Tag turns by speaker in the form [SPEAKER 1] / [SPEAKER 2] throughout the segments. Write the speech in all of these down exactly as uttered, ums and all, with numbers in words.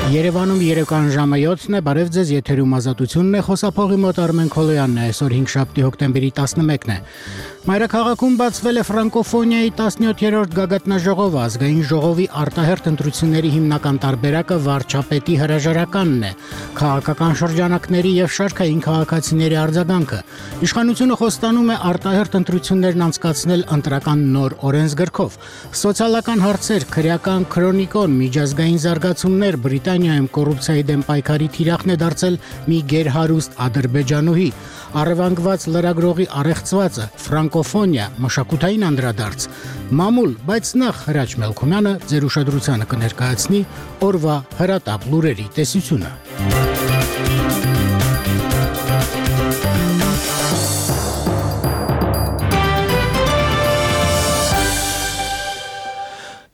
[SPEAKER 1] Երևանում երեկոյան ժամը յոթն է, բարև ձեզ, եթերում ազատությունն է, խոսափողի մոտ Արմեն Քոլոյանն է, այսօր հինգշաբթի հոկտեմբերի տասնմեկն է։ Մայրաքաղաքում բացվել է ֆրանկոֆոնիայի տասնյոթերորդ գագաթնաժողովը, ազգային ժողովի արտահերթ ընտրությունների հիմնական տարբերակը վարչապետի հրաժարականն է, քաղաքական շրջանակների եւ շարքային քաղաքացիների արձագանքը։ Իշխանությունը խոստանում է արտահերթ ընտրություններն անցկացնել ընտրական նոր օրենսգրքով։ Սոցիալական հարցեր, քրեական քրոնիկոն, միջազգային զարգացումներ, Բրիտանիայում կոռուպցիայի դեմ պայքարի թիրախն է դարձել մի գերհարուստ ադրբեջանուհի, առևանգված լրագրողի առեղծվածը, ֆրանկոֆոնիա, մշակութային անդրադարձ, մամուլ, բայց նախ Հրաչ Մելքումյանը ձեր ուշադրությանը կներկայացնի օրվա հրատապ լուրերի տեսությունը։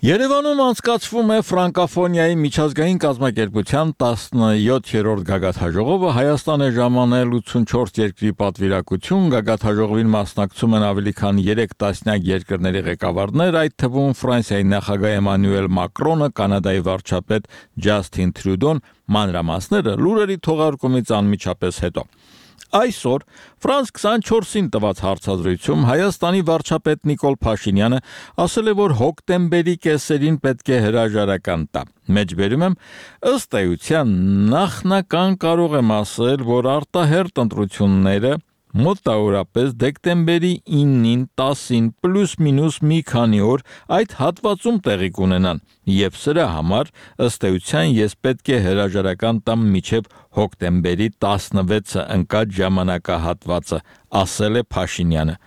[SPEAKER 2] Երևանում անցկացվում է ֆրանկոֆոնիայի միջազգային կազմակերպության տասնյոթերորդ գագաթնաժողովը, Հայաստան է ժամանել ութսունչորս երկրի պատվիրակություն, գագաթնաժողովին մասնակցում են ավելի քան երեք տասնյակ երկրների ղեկավարներ, այդ թվում Ֆրանսիայի նախագահ Էմանուել Մակրոնը, Կանադայի վարչապետ Ջասթին Տրյուդոն, մանրամասները լուրերի թողարկումից անմիջապես հետո։ Այսօր Ֆրանս քսանչորսին տված հարցազրույցում Հայաստանի վարչապետ Նիկոլ Փաշինյանը ասել է, որ հոկտեմբերի կեսերին պետք է հրաժարական տա։ Մեջբերում եմ, ըստ էության նախնական կարող եմ ասել, որ արտահերթ ընտրությունները մոտավորապես դեկտեմբերի իննին, տասին, պլյուս մինուս մի քանի օր այդ հատվածում տեղի կունենան, եւ սրա համար ըստ էության ես պետք է հրաժարական տամ մինչև հոկտեմբերի տասնվեցը ընկած ժամանակահատվածը, ասել է Փաշինյանը։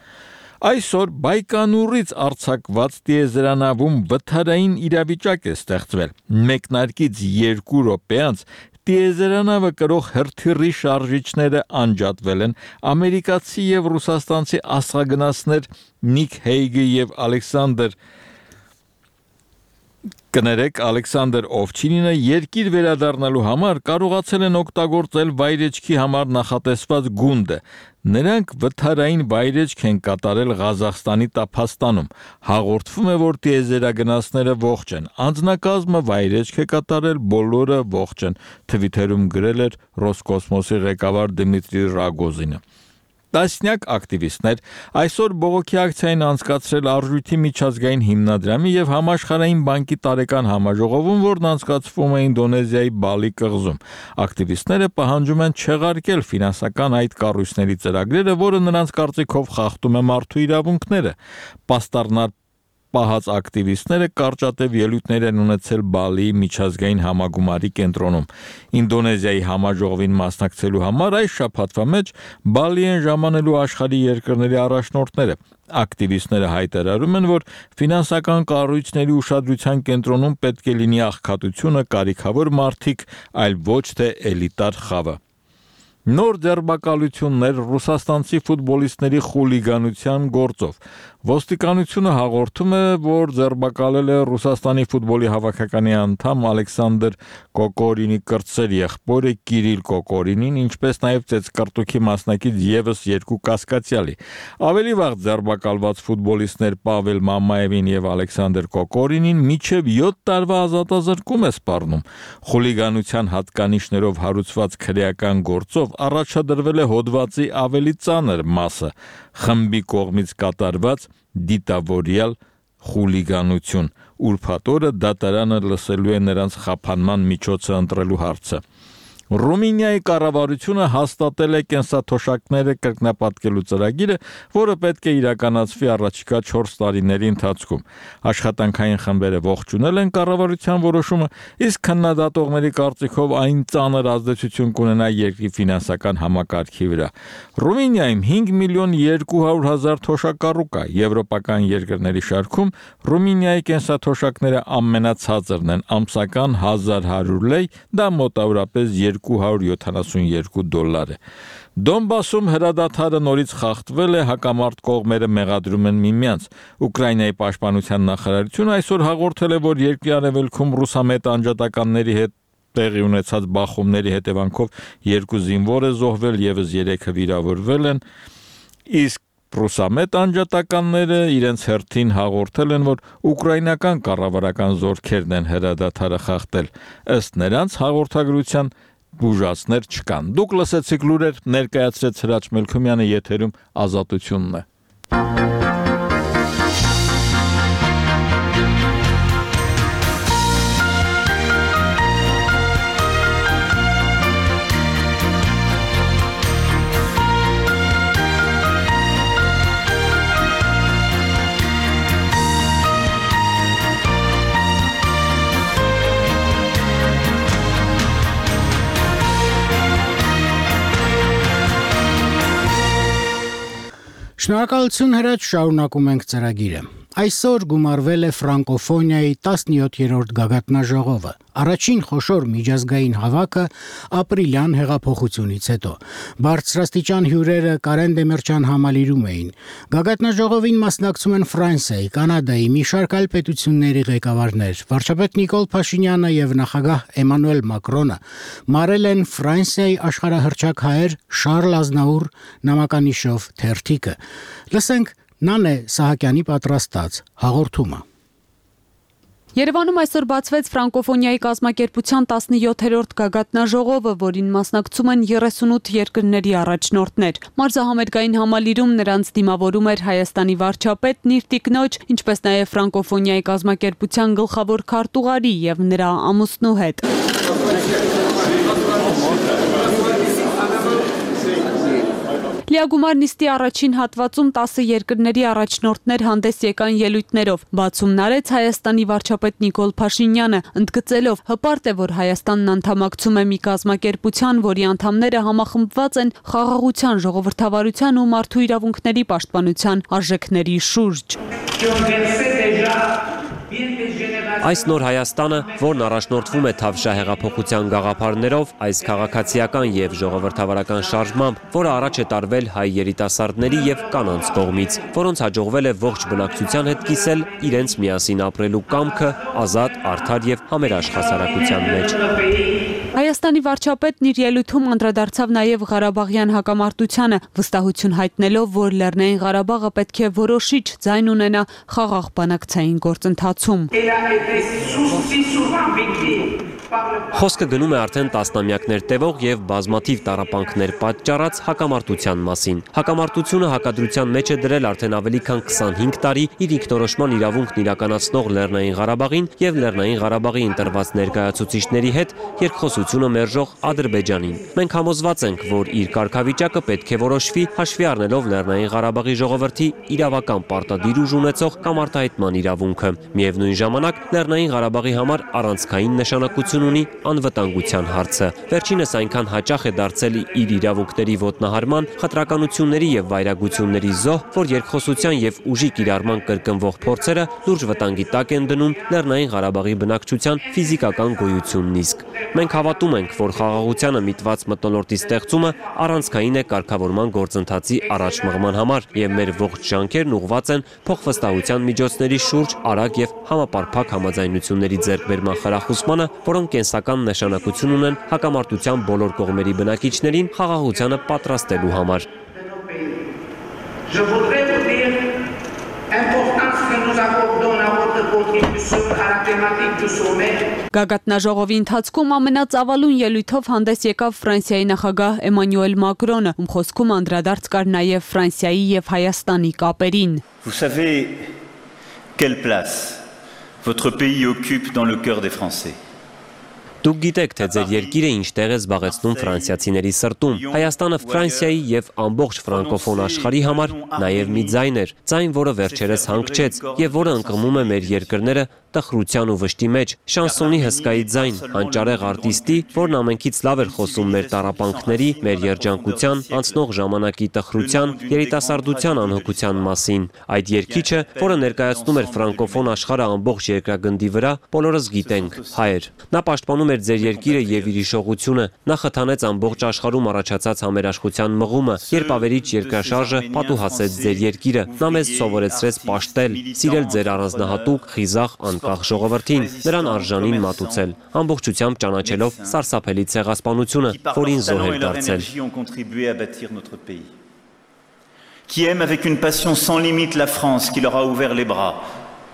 [SPEAKER 2] Այսօր Բայկանուրից արձակված տիեզերանավում վթարային իրավիճակ է ստեղծվել։ Մեկնարկից երկու րոպե անց տիեզերանավը կրող հրթիռի շարժիչները անջատվել են, ամերիկացի եւ ռուսաստանցի աստղագնացներ Նիկ Հեյգը եւ Ալեքսանդր Կներեք Ալեքսանդր Օվչինինը երկիր վերադառնալու համար կարողացել են օգտագործել վայրեջքի համար նախատեսված գունդը։ Նրանք վթարային վայրեջք են կատարել Ղազախստանի Տափաստանում։ Հաղորդվում է, որ տիեզերագնացները ողջ են։ Անձնակազմը վայրեջք է կատարել, բոլորը ողջ են, Թվիթերում գրել էր Ռոսկոսմոսի ղեկավար Դմիտրի Ռագոզինը։ Տասնյակ ակտիվիստներ այսօր բողոքի ակցիա են անցկացրել Արժույթի միջազգային հիմնադրամի եւ Համաշխարհային բանկի տարեկան համաժողովում, որն անցկացվում է Ինդոնեզիայի Բալի կղզում։ Ակտիվիստները պահանջում են չեղարկել ֆինանսական այդ կառույցների ծրագրերը, որը նրանց կարծիքով խախտում է մարդու իրավունքները։ Պաստառնար պահած ակտիվիստները կարճատև ելույթներ են ունեցել Բալիի միջազգային համագումարի կենտրոնում։ Ինդոնեզիայի համաժողովին մասնակցելու համար այս շաբաթվա մեջ Բալի են ժամանելու աշխարհի երկրների առաջնորդները։ Ակտիվիստները հայտարարում են, որ ֆինանսական կառույցների ուշադրության կենտրոնում պետք է լինի աղքատությունը, կարիքավոր մարդիկ, այլ ոչ թե էլիտար խավը։ Նոր ձերբակալություններ ռուսաստանցի ֆուտբոլիստների խուլիգանության գործով։ Ոստիկանությունը հաղորդում է, որ ձերբակալել է Ռուսաստանի ֆուտբոլի հավաքականի անդամ Ալեքսանդր Կոկորինի կրտսեր եղբորը Կիրիլ Կոկորինին, ինչպես նաև ծեծկռտուքի մասնակից եւս երկու կասկածյալի։ Ավելի վաղ ձերբակալված ֆուտբոլիստներ Պավել Մամաևին եւ Ալեքսանդր Կոկորինին մինչեւ յոթ տարվա ազատազրկում է սպառնում։ Խուլիգանության հատկանիշներով հարուցված քրեական գործով առաջադրվել է հոդվածի ավելի ծանր մասը՝ խմբի կողմից կատարված դիտավորյալ խուլիգանություն։ Ուրբաթ օրը դատարանը լսելու է նրանց խափանման միջոցը ընտրելու հարցը։ Ռումինիայի կառավարությունը հաստատել է կենսաթոշակները կրկնապատկելու ծրագիրը, որը պետք է իրականացվի առաջիկա չորս տարիների ընթացքում։ Աշխատանքային խմբերը ողջունել են կառավարության որոշումը, իսկ քննադատողների կարծիքով այն ծանր ազդեցություն կունենա երկրի ֆինանսական համակարգի վրա։ Ռումինիայում հինգ միլիոն երկու հարյուր հազար թոշակառու կա։ Եվրոպական երկրների շարքում Ռումինիայի կենսաթոշակները ամենացածրն են, ամսական հազար հարյուր լեյ, դա մոտավորապես երկու հարյուր յոթանասունյոթ դոլար է։ Դոնբասում հրադադարը նորից խախտվել է, հակամարտ կողմերը մեղադրում են միմյանց։ Ուկրաինայի պաշտպանության նախարարությունը այսօր հաղորդել է, որ երկրի արևելքում ռուսամետ անջատականների հետ տեղի ունեցած բախումների հետևանքով երկու զինվոր է զոհվել, եւս երեքը վիրավորվել են, իսկ Պրուսամետ անջատականները իրենց հերթին հաղորդել են, որ ուկրաինական կառավարական զորքերն են հրադադարը խախտել, ըստ նրանց հաղորդագրության բուժածներ չկան։ Դուք լսեցիք լուրեր, ներկայացրեց Հրաչ Մելքումյանը, եթերում Ազատությունն է։
[SPEAKER 1] Շնորհակալություն Հրաչ, շարունակում ենք ծրագիրը։ Այսօր գումարվել է ֆրանկոֆոնիայի տասնյոթերորդ գագաթնաժողովը, առաջին խոշոր միջազգային հավաքը ապրիլյան հեղափոխությունից հետո։ Բարձրաստիճան հյուրերը Կարեն Դեմիրճյան համալիրում էին։ Գագաթնաժողովին մասնակցում են Ֆրանսիայի, Կանադայի, մի շարք այլ պետությունների ղեկավարներ։ Վարչապետ Նիկոլ Փաշինյանը եւ նախագահ Էմանուել Մակրոնը մարել են Ֆրանսիայի աշխարհահռչակ հայեր Շարլ Ազնաուր նամականիշով թերթիկը։ Լսենք Նանե Սահակյանի պատրաստած հաղորդումը։
[SPEAKER 3] Երևանում այսօր բացվեց ֆրանկոֆոնիայի կազմակերպության տասնյոթերորդ գագաթնաժողովը, որին մասնակցում են երեսունութ երկրների առաջնորդներ։ Մարզահամերգային համալիրում նրանց դիմավորում էր Հայաստանի վարչապետն իր տիկնոջ, ինչպես նաև ֆրանկոֆոնիայի կազմակերպության գլխավոր քարտուղարի եւ նրա ամուսնու հետ։ Լիագումար նիստի առաջին հատվածում տասը երկրների առաջնորդներ հանդես եկան ելույթներով։ Բացումն արեց Հայաստանի վարչապետ Նիկոլ Փաշինյանը, ընդգծելով հպարտ է, որ Հայաստանն անդամակցում է մի կազմակերպության, որի անդամները համախմբված են խաղաղության, ժողովրդավարության ու մարդու իրավունքների պաշտպանության արժեքների շուրջ։
[SPEAKER 4] Այս նոր Հայաստանը, որն առաջնորդվում է թավշյա հեղափոխության գաղափարներով, այս քաղաքացիական եւ ժողովրդավարական շարժմամբ, որը առաջ է տարվել հայ երիտասարդների եւ կանանց կողմից, որոնց հաջողվել է ողջ բնակչության հետ կիսել իրենց միասին ապրելու կամքը ազատ, արդար եւ համերաշխ հասարակության մեջ։
[SPEAKER 3] Հայաստանի վարչապետն իր ելույթում անդրադարձավ նաև Ղարաբաղյան հակամարտությանը, վստահություն հայտնելով, որ Լեռնային Ղարաբաղը պետք է որոշիչ ձայն ունենա խաղաղ բանակցային գործընթացում։
[SPEAKER 4] Խոսքը գնում է արդեն տասնամյակներ տևող եւ բազմաթիվ տառապանքներ պատճառած հակամարտության մասին։ Հակամարտությունը հակադրության մեջ է դրել արդեն ավելի քան քսանհինգ տարի իր ինքնորոշման իրավունքն իրականացնող Լեռնային Ղարաբաղին եւ Լեռնային Ղարաբաղի ընտրված ներկայացուցիչների հետ երկխոսությունը մերժող Ադրբեջանին։ Մենք համոզված ենք, որ իր կարգավիճակը պետք է որոշվի հաշվի առնելով Լեռնային Ղարաբաղի ժողովրդի իրավական պարտադիր ուժ ունեցող կամ արտահայտման իրավունքը։ Միևնույն ժամանակ Լեռնային Ղարաբաղի համար առանցքային նշանակություն ունի անվտանգության հարցը։ Վերջինս այնքան հաճախ է դարձել իր իրավունքների ոտնահարման, խտրականությունների եւ վայրագությունների զոհ, որ երկխոսության եւ ուժի կիրառման կրկնվող փորձերը լուրջ վտանգի տակ են դնում Լեռնային Ղարաբաղի բնակչության ֆիզիկական գոյությունն իսկ։ Մենք հավատում ենք, որ խաղաղությանը միտված մթնոլորտի ստեղծումը առանցքային է կարգավորման գործընթացի առաջ մղման համար եւ մեր ողջ ջանքերն ուղղված են փոխվստահության միջոցների շուրջ արագ եւ համապարփակ համաձայնությունների ձեռքբերման խրախուսմանը, որոնք կենսական նշանակություն ունեն հակամարտության բոլոր կողմերի բնակիչներին խաղաղությանը պատրաստելու համար։
[SPEAKER 3] Գագաթնաժողովի ընթացքում ամենածավալուն ելույթով հանդես եկավ Ֆրանսիայի նախագահ Էմանուել Մակրոնը, ում խոսքում անդրադարձ կար նաև Ֆրանսիայի եւ Հայաստանի կապերին։
[SPEAKER 5] Vous savez quelle place votre pays occupe dans le cœur des Français.
[SPEAKER 4] Դուք գիտեք, թե ձեր երկիրը ինչ տեղ է զբաղեցնում ֆրանսիացիների սրտում։ Հայաստանը Ֆրանսիայի եւ ամբողջ ֆրանկոֆոն աշխարհի համար նաեւ մի ձայն էր, ձայն, որը վերջերս հանգչեց եւ որը ընկղմում է մեր երկրները տխրության ու վշտի մեջ, շանսոնի հսկայի ձայն, հանճարեղ արտիստի, որն ամենքից լավ էր խոսում մեր տառապանքների, մեր երջանկության, անցնող ժամանակի տխրության, երիտասարդության անհոգության մասին։ Այդ երգիչը, որը ներկայացնում էր ֆրանկոֆոն աշխարհը ամբողջ երկրագնդի վրա, բոլորս գիտենք, հայ էր։ Նա պաշտպանում էր ձեր երկիրը եւ իր իշխողությունը, նա խթանեց ամբողջ աշխարհում առաջացած համերաշխության մղումը, երբ ավերիչ երկրաշարժը պատուհասեց ձեր երկիրը։ Նա մեզ սովորեցրեց պաշտել, սիրել ձեր առանձնահատուկ, խիզախ, անկախ ժողովրդին, նրան արժանին մատուցել, ամբողջությամբ ճանաչելով սարսափելի ցեղասպանությունը, որին զոհ էր դարձել։
[SPEAKER 5] qui aiment avec une passion sans limite la France qui leur a ouvert les bras,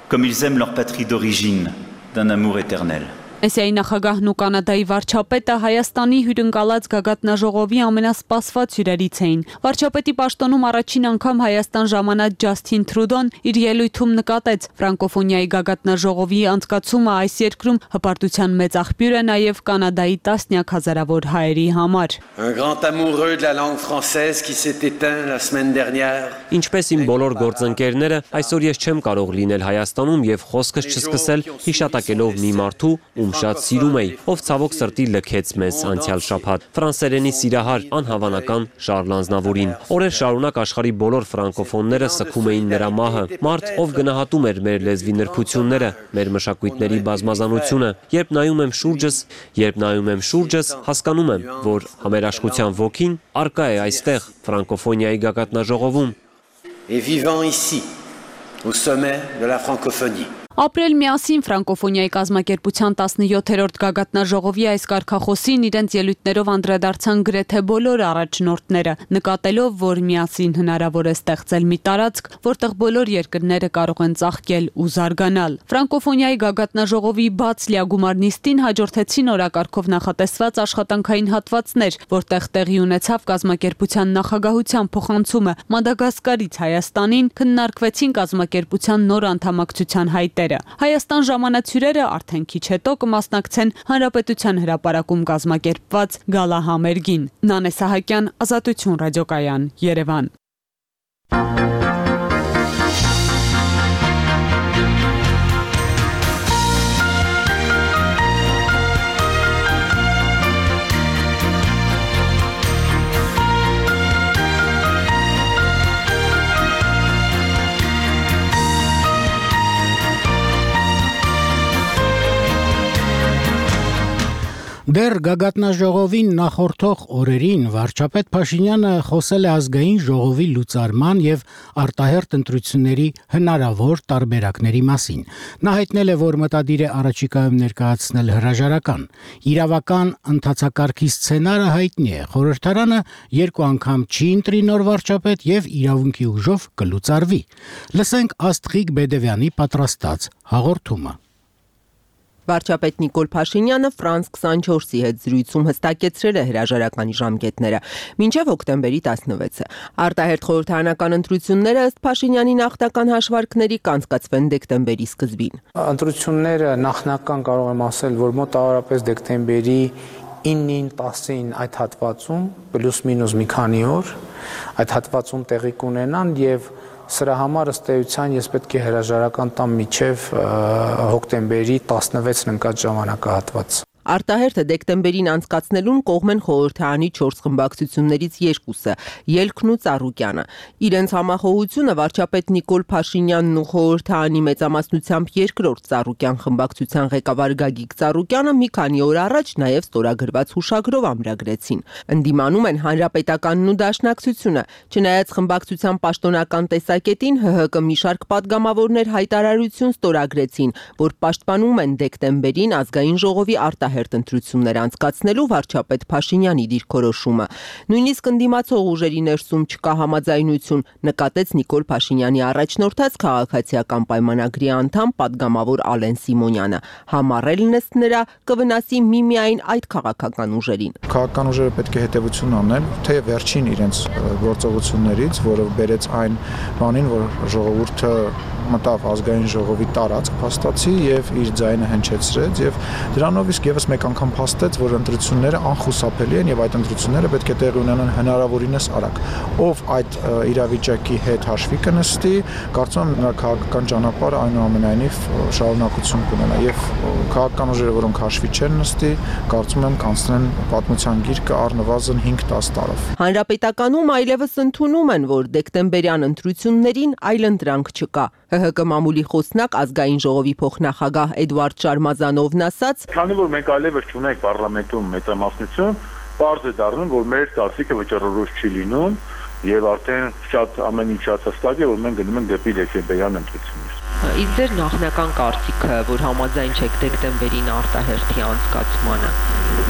[SPEAKER 5] comme ils aiment leur patrie d'origine, d'un amour éternel.
[SPEAKER 3] Էսիայի նախագահն ու Կանադայի վարչապետը Հայաստանի հյուրընկալած գագաթնաժողովի ամենասպասված հյուրերից էին։ Վարչապետի պաշտոնում առաջին անգամ Հայաստան ժամանած Ջասթին Թրուդոն իր ելույթում նկատեց ֆրանկոֆոնիայի գագաթնաժողովի անցկացումը այս երկրում հպարտության մեծ աղբյուր է նաև Կանադայի տասնյակ հազարավոր հայերի համար։
[SPEAKER 6] Un grand amoureux de la langue française qui s'est éteint la semaine dernière.
[SPEAKER 4] Ինչպես իմ բոլոր գործընկերները, այսօր ես չեմ կարող լինել Հայաստանում եւ խոսքս չսկսել հիշատակելով մի մարդու, ում շատ սիրում էի, ով ցավոք սրտի լքեց մեզ անցյալ շաբաթ։ Ֆրանսերենի սիրահար անհավանական Շարլ Ազնավուրին։ Օրեր շարունակ աշխարհի բոլոր ֆրանկոֆոնները սգում էին նրա մահը։ Մարդ, ով գնահատում էր մեր լեզվի նրբությունները, մեր մշակույթների բազմազանությունը։ Երբ նայում եմ շուրջս, երբ նայում եմ շուրջս, հասկանում եմ, որ համերաշխության ոգին արկա է այստեղ ֆրանկոֆոնիայի գագաթնաժողովում։
[SPEAKER 6] Et vivant ici, au sommet de la francophonie.
[SPEAKER 3] Ապրել միասին ֆրանկոֆոնիայի կազմակերպության տասնյոթերորդ գագաթնաժողովի այս կարգախոսին իրենց ելույթներով անդրադարձան գրեթե բոլոր առաջնորդները, նկատելով, որ միասին հնարավոր է ստեղծել մի տարածք, որտեղ բոլոր երկրները կարող են ծաղկել ու զարգանալ։ Ֆրանկոֆոնիայի գագաթնաժողովի բաց լիագումար նիստին հաջորդեցին օրակարգով նախատեսված աշխատանքային հատվածներ, որտեղ տեղի ունեցավ կազմակերպության նախագահության փոխանցումը Մադագասկարից Հայաստանին, քննարկվեցին կազմակերպության նոր անդամակցության հայտերը։ Հայաստան ժամանած հյուրերը արդեն քիչ հետո կմասնակցեն Հանրապետության հրապարակում կազմակերպված գալահամերգին։ Նանե Սահակյան, Ազատություն ռադիոկայան, Երևան։
[SPEAKER 1] Դեռ գագաթնաժողովին նախորդող օրերին վարչապետ Փաշինյանը խոսել է ազգային ժողովի լուծարման եւ արտահերթ ընտրությունների հնարավոր տարբերակների մասին։ Նա հայտնել է, որ մտադիր է առաջիկայում ներկայացնել հրաժարական։ Իրավական ընթացակարգի սցենարը հայտնի է։ Խորհրդարանը երկու անգամ չի ընտրի նոր վարչապետ եւ իրավունքի ուժով կլուծարվի։ Լսենք Աստղիկ Բեդևյանի պատրաստած հաղորդումը։
[SPEAKER 7] Վարչապետ Նիկոլ Փաշինյանը Ֆրանս քսանչորսի հետ զրույցում հստակեցրել է հրաժարականի ժամկետները մինչև հոկտեմբերի տասնվեցը։ Արտահերթ խորհրդարանական ընտրությունները ըստ Փաշինյանի նախնական հաշվարկների կանցկացվեն դեկտեմբերի սկզբին։
[SPEAKER 8] Ընտրությունները նախնական կարող եմ ասել, որ մոտավորապես դեկտեմբերի իննին տասին այդ հատվածում պլյուս մինուս մի քանի օր այդ հատվածում տեղի կունենան եւ Սրա համար ըստ էության ես պետք է հրաժարական տամ մինչև հոկտեմբերի տասնվեցն ընկած ժամանակահատված։
[SPEAKER 7] Արտահերթը դեկտեմբերին անցկացնելուն կողմ են խորհրդարանի չորս խմբակցություններից երկուսը՝ Ելքն ու Ծառուկյանը։ Իրենց համախոհությունը վարչապետ Նիկոլ Փաշինյանն ու խորհրդարանի մեծամասնությամբ երկրորդ Ծառուկյան խմբակցության ղեկավար Գագիկ Ծառուկյանը մի քանի օր առաջ նաև ստորագրված հուշագրով ամրագրեցին։ Ընդդիմանում են Հանրապետականն ու Դաշնակցությունը։ Չնայած խմբակցության պաշտոնական տեսակետին ՀՀԿ մի շարք պատգամավորներ հայտարարություն ստորագրեցին, որ պաշտպանում են դեկտեմբերին ազգային ժողովի արտահերթ հերթ ընտրություններ անցկացնելու վարչապետ Փաշինյանի դիրքորոշումը։ Նույնիսկ ընդդիմացող ուժերի ներսում չկա համաձայնություն, նկատեց Նիկոլ Փաշինյանի առաջնորդած քաղաքացիական պայմանագրի անդամ պատգամավոր Ալեն Սիմոնյանը։ Համառելն ըստ նրա կվնասի միմիայն այդ քաղաքական ուժերին։
[SPEAKER 9] Քաղաքական ուժերը պետք է հետևություն անեն, թե վերջին իրենց գործողություններից, որը բերեց այն բանին, որ ժողովուրդը մտավ ազգային ժողովի տարածք փաստացի եւ իր ձայնը հնչեցրեց եւ դրանով իսկ եւս մեկ անգամ փաստեց, որ ընտրությունները անխուսափելի են եւ այդ ընտրությունները պետք է տեղի ունենան հնարավորինս արագ։ Ով այդ իրավիճակի հետ հաշվի կնստի, կարծում եմ նրա քաղաքական ճանապարհը այնուամենայնիվ շարունակություն կունենա եւ քաղաքական ուժերը, որոնք հաշվի չեն նստի, կարծում եմ կանցնեն պատմության գիրկը առնվազն հինգ-տասը տարով։
[SPEAKER 7] Հանրապետականում այլևս ընդունում են, որ դեկտեմբերյան ընտրություններին այլընտրանք չկա։ ՀՀԿ մամուլի խոսնակ ազգային ժողովի փոխնախագահ Էդվարդ Շարմազանովն ասաց.
[SPEAKER 10] Քանի որ մենք այլևս չունենք parlamentum մեծամասնություն, պարզ է դառնում, որ մեր կարծիքը վճռորոշ չի լինում եւ արդեն շատ ամեն ինչ շատ հստակ է, որ մենք գնում ենք դեպի դեկտեմբերյան ընտրություններ։
[SPEAKER 7] Իսկ ձեր նախնական կարծիքը, որ համաձայն չեք դեկտեմբերին արտահերթի անցկացմանը,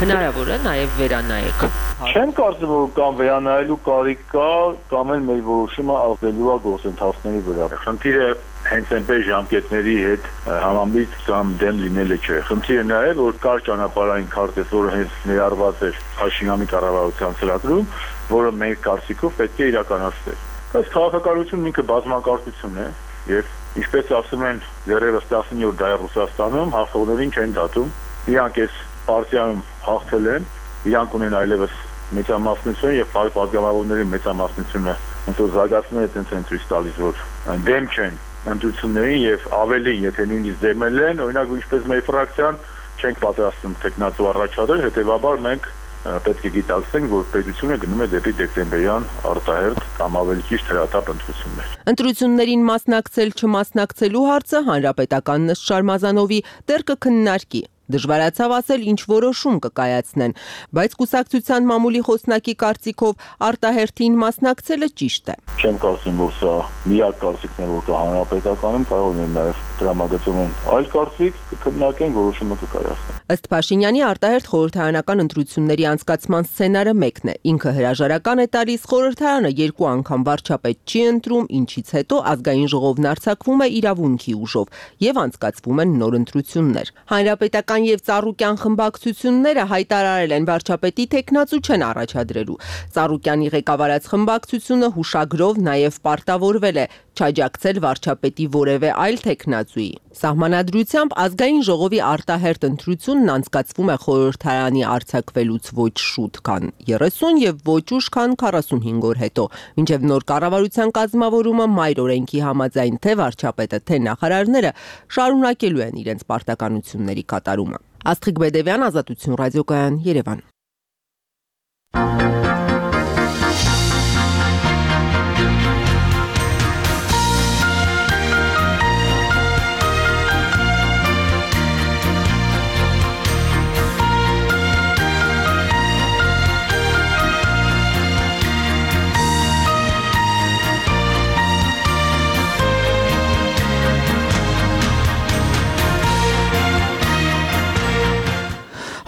[SPEAKER 7] հնարավոր է նաև վերանայեք։
[SPEAKER 10] Չեմ կարծում, որ կամ վերանայելու կարիք կա, կամ էլ մեր որոշումը ազդելու է գործընթացների վրա։ Խնդիրը հենց այնպես ժամկետների հետ համամիտ կամ դեմ լինելը չէ։ Խնդիրը նա է, որ կար ճանապարհային քարտեզ, որը հենց ներառված էր Փաշինյանի կառավարության ծրագրում, որը մեր կարծիքով պետք է իրականացվեր։ Բայց քաղաքականությունն ինքը բազմակարծություն է եւ ինչպես ասում են դեռևս տասնյոթ դարի Ռուսաստանում հաղթողներին չեն դատում, իրանք այս պարտիայում հաղթել են, իրանք ունեն այլևս մեծամասնություն եւ պատգամավորների մեծամասնությունը ոնց որ զարգացնում է այդպես են ցույց տալիս, որ դեմ չեն ընտրություններին եւ ավելին, եթե նույնիսկ դեմել են, օրինակ ինչպես մեր ֆրակցիան չենք պատրաստվում տեխնացու առաջադրել, հետեւաբար մենք պետք է գիտակցենք, որ պետությունը գնում է դեպի դեկտեմբերյան արտահերթ կամ ավելի ճիշտ հրատապ ընտրություններ։
[SPEAKER 7] Ընտրություններին մասնակցել չմասնակցելու հարցը հանրապետական Նստ Շարմազանովի դեռ կքննարկի։ Դժվարացավ ասել ինչ որոշում կկայացնեն, բայց կուսակցության մամուլի խոսնակի կարծիքով արտահերթին մասնակցելը ճիշտ է։
[SPEAKER 10] Չեմ կարծում, որ սա միակ կարծիքն է, որ կա հանրապետականում, կարող է նաև դրամագծում են այլ կարծիք, կքննարկեն, որոշումը կկայացնեն։
[SPEAKER 7] Ըստ Փաշինյանի արտահերթ խորհրդարանական ընտրությունների անցկացման սցենարը մեկն է։ Ինքը հրաժարական է տալիս, խորհրդարանը երկու անգամ վարչապետ չի ընտրում, ինչից հետո ազգային ժողովն արձակվում է իրավունքի ուժով եւ անցկացվում են նոր ընտրություններ։ Հանրապետական եւ Ծառուկյան խմբակցությունները հայտարարել են վարչապետի տեխնացու չեն առաջադրելու։ Ծառուկյանի ղեկավարած խմբակցությունը հուշագրով նաեւ պարտավորվել է չաջակցել վարչապետի որևէ այլ տեխնացուի։ Սահմանադրությամբ ազգային ժողովի արտահերթ ընտրությունն անցկացվում է խորհրդարանի արձակվելուց ոչ շուտ, քան երեսուն եւ ոչ ուշ, քան քառասունհինգ օր հետո, մինչեւ նոր կառավարության կազմավորումը մայր օրենքի համաձայն թե վարչապետը, թե նախարարները շարունակելու են իրենց պարտականությունների կատարումը։ Աստղիկ Բեդևյան, Ազատություն ռադիոկայան, Երևան։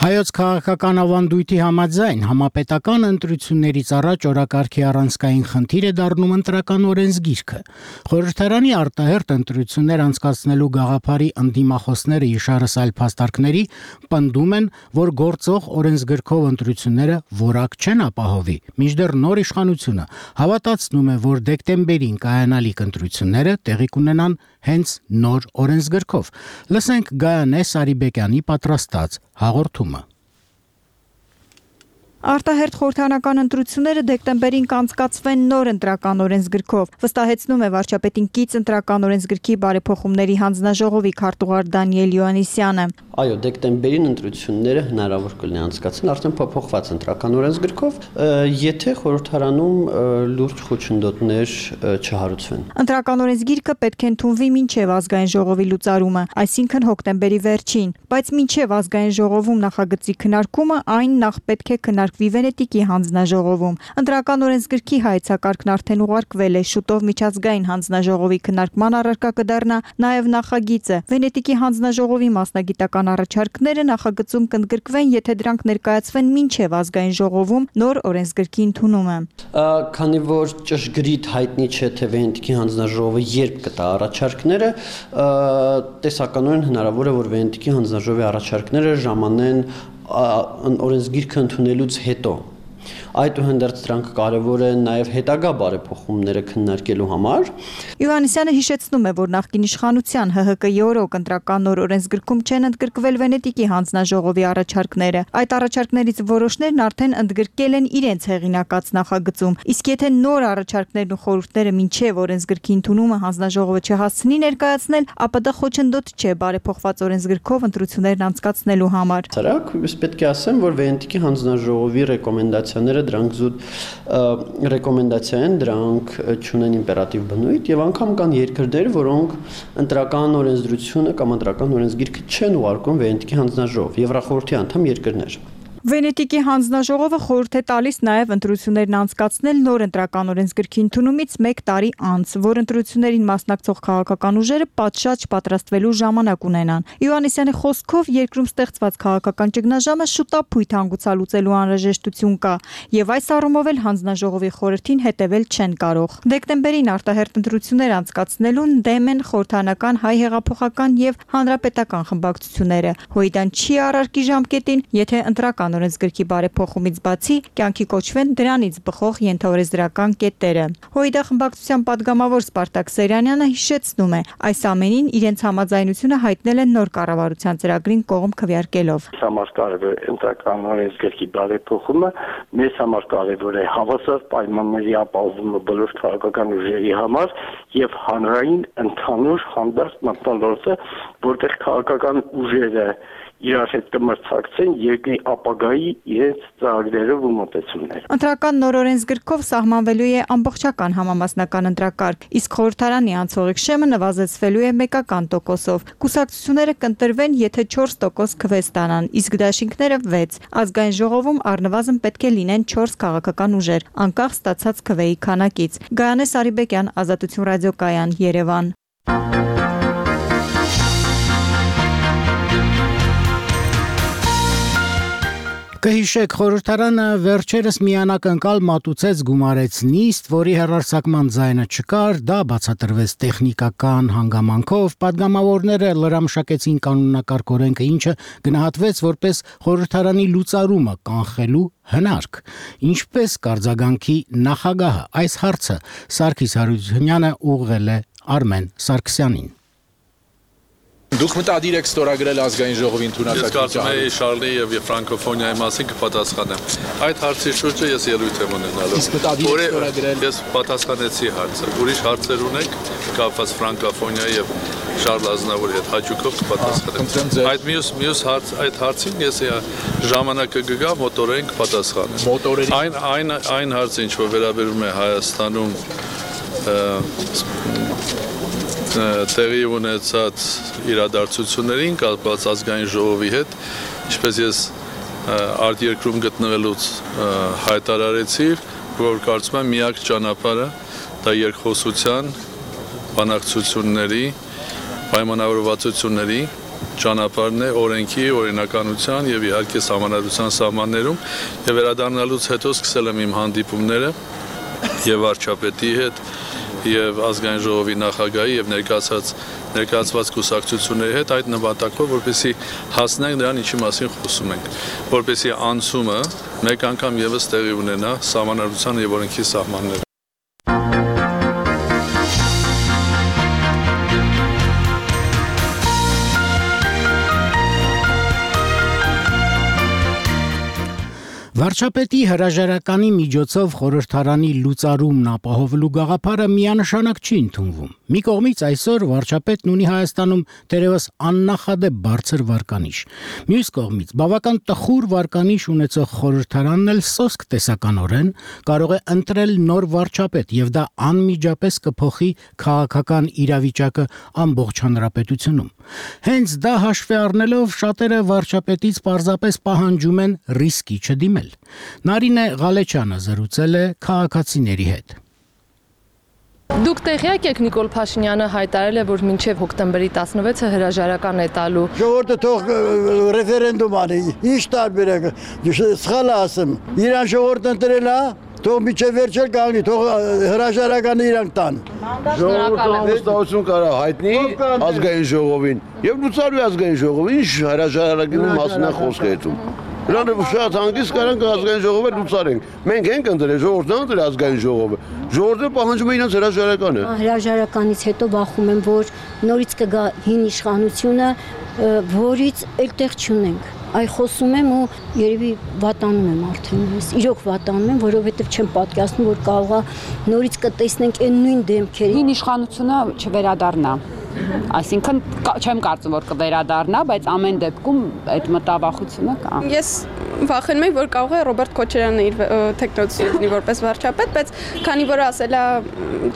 [SPEAKER 1] Հայոց քաղաքական ավանդույթի համաձայն համապետական ընտրություններից առաջ օրակարգի առանցքային խնդիր է դառնում ընտրական օրենսգիրքը։ Խորհրդարանի արտահերթ ընտրություններ անցկացնելու գաղափարի ընդդիմախոսները իշարս այլ փաստարկների պնդում են, որ գործող օրենսգրքով ընտրությունները որակ չեն ապահովի, մինչդեռ նոր իշխանությունը հավատացնում է, որ դեկտեմբերին կայանալիք ընտրությունները տեղի կունենան հենց նոր օրենսգրքով։ Լսենք Գայանե Սարիբեկյանի պատրաստած հաղորդումը։
[SPEAKER 11] Արտահերթ խորհրդարանական ընտրությունները դեկտեմբերին կանցկացվեն նոր ընտրական օրենսգրքով, վստահեցնում է վարչապետին կից ընտրական օրենսգրքի բարեփոխումների հանձնաժողովի քարտուղար Դանիել Յոհաննիսյանը։
[SPEAKER 12] Այո, դեկտեմբերին ընտրությունները հնարավոր կլինի անցկացնել արդեն փոփոխված ընտրական օրենսգրքով, եթե խորհրդարանում լուրջ խոչընդոտներ չհարուցվեն։
[SPEAKER 11] Ընտրական օրենսգիրքը պետք է ընդունվի մինչև ազգային ժողովի լուծարումը, այսինքն հոկտեմբերի վերջին, բայց մինչև ազգային ժողովում նախագծի քննարկումը այն նախ պետք է քննարկվի Վենետիկի հանձնաժողովում։ Ընտրական օրենսգրքի հայեցակարգն արդեն ուղարկվել է, շուտով միջազգային հանձնաժողովի քննարկման առարկա կդառնա նաև նախագիծը։ Վենետիկի հանձնաժողովի մասնագիտական առաջարկները նախագծում կընդգրկվեն, եթե դրանք ներկայացվեն մինչև ազգային ժողովում նոր օրենսգրքի ընդունումը։
[SPEAKER 12] Քանի որ ճշգրիտ հայտնի չէ, թե Վենետիկի հանձնաժողովը երբ կտա առաջարկները, տեսականորեն հնարավոր է, որ Վենետիկի հանձնաժողովի առաջարկները ժամանեն օրենսգիրքը ընդունելուց հետո։ Այդուհանդերձ դրանք կարևոր են նաև հետագա բարեփոխումները քննարկելու համար։
[SPEAKER 11] Յոհաննիսյանը հիշեցնում է, որ նախկին իշխանության Հ Հ Կ-ի օրոք ընտրական նոր օրենսգրքում չեն ընդգրկվել Վենետիկի հանձնաժողովի առաջարկները։ Այդ առաջարկներից որոշներն արդեն ընդգրկել են իրենց հեղինակած նախագծում։ Իսկ եթե նոր առաջարկներն ու խորհուրդները մինչև օրենսգրքի ընդունումը հանձնաժողովը չհասցնի ներկայացնել, ապա դա խոչընդոտ չէ բարեփոխված օրենսգրքով ընտրություններն անցկացնելու համար։
[SPEAKER 12] Սրանք պետք է ասեմ, որ Վենետիկի հանձնաժողովի ռեկոմենդացիաները դրանք զուտ ռեկոմենդացիա են, դրանք չունեն իմպերատիվ բնույթ եւ անգամ կան երկրներ, որոնք ընտրական օրենսդրությունը կամ ընտրական օրենսգիրքը չեն ուղարկում Վենետիկի հանձնաժողով, Եվրախորհրդի անդամ երկրներ։
[SPEAKER 11] Վենետիկի հանձնաժողովը խորհուրդ է տալիս նաև ընտրություններն անցկացնել նոր ընտրական օրենսգրքի ընդունումից մեկ տարի անց, որ ընտրություններին մասնակցող քաղաքական ուժերը պատշաճ պատրաստվելու ժամանակ ունենան։ Իոաննիսյանի խոսքով երկրում ստեղծված քաղաքական ճգնաժամը շուտապույտ հանգուցալուծելու անհրաժեշտություն կա, եւ այս առումով էլ հանձնաժողովի խորհրդին հետևել չեն կարող։ Դեկտեմբերին արտահերթ ընտրություններ անցկացնելուն դեմ են խորհրդանական հայ հեղափոխական եւ հանրապետական խմբակցությունները։ Հույդան չի առարկի ժամկետին, եթե ընտրական օրենսգրքի բարեփոխումից բացի կյանքի կոչվեն դրանից բխող ենթաօրենսդրական կետերը։ Հույդա խմբակցության падգամավոր Սպարտակ Սեյրանյանը հիշեցնում է, այս ամենին իրենց համաձայնությունը հայտնել են նոր կառավարության ծրագրին կողմ քվեարկելով։
[SPEAKER 10] Համար կարևոր է ընտրական օրենսգրքի բարեփոխումը, մեզ համար կարևոր է հավասար պայմանների ապահովումը բոլոր քաղաքական ուժերի համար եւ հանրային ընդհանուր հանդարտ մտնոլորտը, որտեղ քաղաքական ուժերը իրար հետ կմրցակցեն երկրի ապագայի իրենց ծրագրերով ու մոտեցումներով։
[SPEAKER 11] Ընտրական նոր օրենսգրքով սահմանվելու է ամբողջական համամասնական ընտրակարգ, իսկ խորհրդարանի անցողիկ շեմը նվազեցվելու է մեկական տոկոսով։ Կուսակցությունները կընտրվեն, եթե չորս տոկոս քվե ստանան, իսկ դաշինքները վեց։ Ազգային ժողովում առնվազն պետք է լինեն չորս քաղաքական ուժեր, անկախ ստացած քվեի քանակից։ Գայանե Սարիբեկյան, Ազատություն ռադիոկայան, Երևան։
[SPEAKER 1] Կհիշեք, խորհրդարանը վերջերս միանակնկալ մատուցեց գումարեց նիստ, որի հեռարձակման ձայնը չկար, դա բացատրվեց տեխնիկական հանգամանքով, падգամավորները լրամշակեցին կանոնակարգ օրենքը, ինչը գնահատվեց որպես խորհրդարանի լուծարումը կանխելու հնարք։ Ինչպես կարձագանքի նախագահը, այս հարցը Սարգիս Հարությունյանը ուղղել է Արմեն Սարգսյանին։
[SPEAKER 13] Դուք մտադիր եք ստորագրել ազգային ժողովի ընդունակացության։
[SPEAKER 14] Ես կարծում եմ Շարլի եւ ֆրանկոֆոնիայի մասին կպատասխանեմ։ Այդ հարցի շուրջը ես ելույթ եմ ունենալու։
[SPEAKER 13] Իսկ մտադիր եք ստորագրել։
[SPEAKER 14] Ես պատասխանեցի հարցը։ Ուրիշ հարցեր ունեք կապված ֆրանկոֆոնիայի եւ Շարլ Ազնավուրի հետ հաճույքով կպատասխանեմ։ Այդ մյուս մյուս հարց այդ հարցին ես ժամանակը կգա մոտորեն կպատասխանեմ։
[SPEAKER 13] Մոտորեն
[SPEAKER 14] այն այն այն հարցը ինչ որ վերաբերում է Հայաստանում տեղի ունեցած իրադարձություններին կապված ազգային ժողովի հետ, ինչպես ես արտերկրում գտնվելուց հայտարարեցի, որ կարծում եմ միակ ճանապարհը դա երկխոսության, բանակցությունների, պայմանավորվածությունների ճանապարհն է օրենքի, օրինականության եւ իհարկե համանadrության սահմաններում եւ վերադառնալուց հետո սկսել եմ իմ հանդիպումները եւ վարչապետի հետ եւ ազգային ժողովի նախագահի եւ ներկայացած ներկայացված կուսակցությունների հետ այդ նպատակով, որպեսզի հասնենք նրան, ինչի մասին խոսում ենք, որպեսզի անցումը մեկ անգամ եւս տեղի ունենա համանadrության եւ օրենքի սահմաններում։
[SPEAKER 1] Վարչապետի հրաժարականի միջոցով խորհրդարանի լուծարումն ապահովելու գաղափարը միանշանակ չի ընդունվում։ Մի կողմից այսօր վարչապետն ունի Հայաստանում դերևս աննախադեպ բարձր վարկանիշ։ Մյուս կողմից բավական տխուր վարկանիշ ունեցող խորհրդարանն էլ սոսկ տեսականորեն կարող է ընտրել նոր վարչապետ եւ դա անմիջապես կփոխի քաղաքական իրավիճակը ամբողջ հանրապետությունում։ Հենց դա հաշվի առնելով շատերը վարչապետից պարզապես պահանջում են ռիսկի չդիմել։ Նարինե Ղալեչյանը զրուցել է քաղաքացիների հետ։
[SPEAKER 15] Դուք տեղյակ եք Նիկոլ Փաշինյանը հայտարարել է, որ մինչև հոկտեմբերի տասնվեցը հրաժարական է տալու։
[SPEAKER 16] Ժողովուրդը թող ռեֆերենդում անի, ինչ տարբերակ, սխալ ասեմ, իրան ժողովուրդը ընտրել է, թող միջև վերջել կանգնի, թող հրաժարականը իրանք տան։
[SPEAKER 17] Ժողովուրդը անվստահություն կարա հայտնի ազգային ժողովին եւ լուծարվի ազգային ժողովը, ինչ հրաժարականի մասն է խոսքը հետում։ Նրանք շատ հանգիստ կարան ազգային ժողովը լուծարենք։ Մենք ենք ընտրել, ժողովուրդն ընտրել ազգային ժողովը։ Ժողովուրդը պահանջում է իրենց հրաժարականը։
[SPEAKER 18] Հրաժարականից հետո բախում եմ, որ նորից կգա հին իշխանությունը, որից էլ տեղ չունենք։ Այ խոսում եմ ու երևի վատանում եմ արդեն ես։ Իրոք վատանում եմ, որովհետև չեմ պատկերացնում, որ կարողա նորից կտեսնենք այն նույն դեմքերը։
[SPEAKER 19] Հին իշխանությունը չվերադառնա։ Այսինքն չեմ կարծում, որ կվերադառնա, բայց ամեն դեպքում այդ մտավախությունը կա։
[SPEAKER 20] Ես վախենում եմ, որ կարող է Ռոբերտ Քոչարյանը իր տեխնոցը լինի որպես վարչապետ, բայց քանի որ ասել է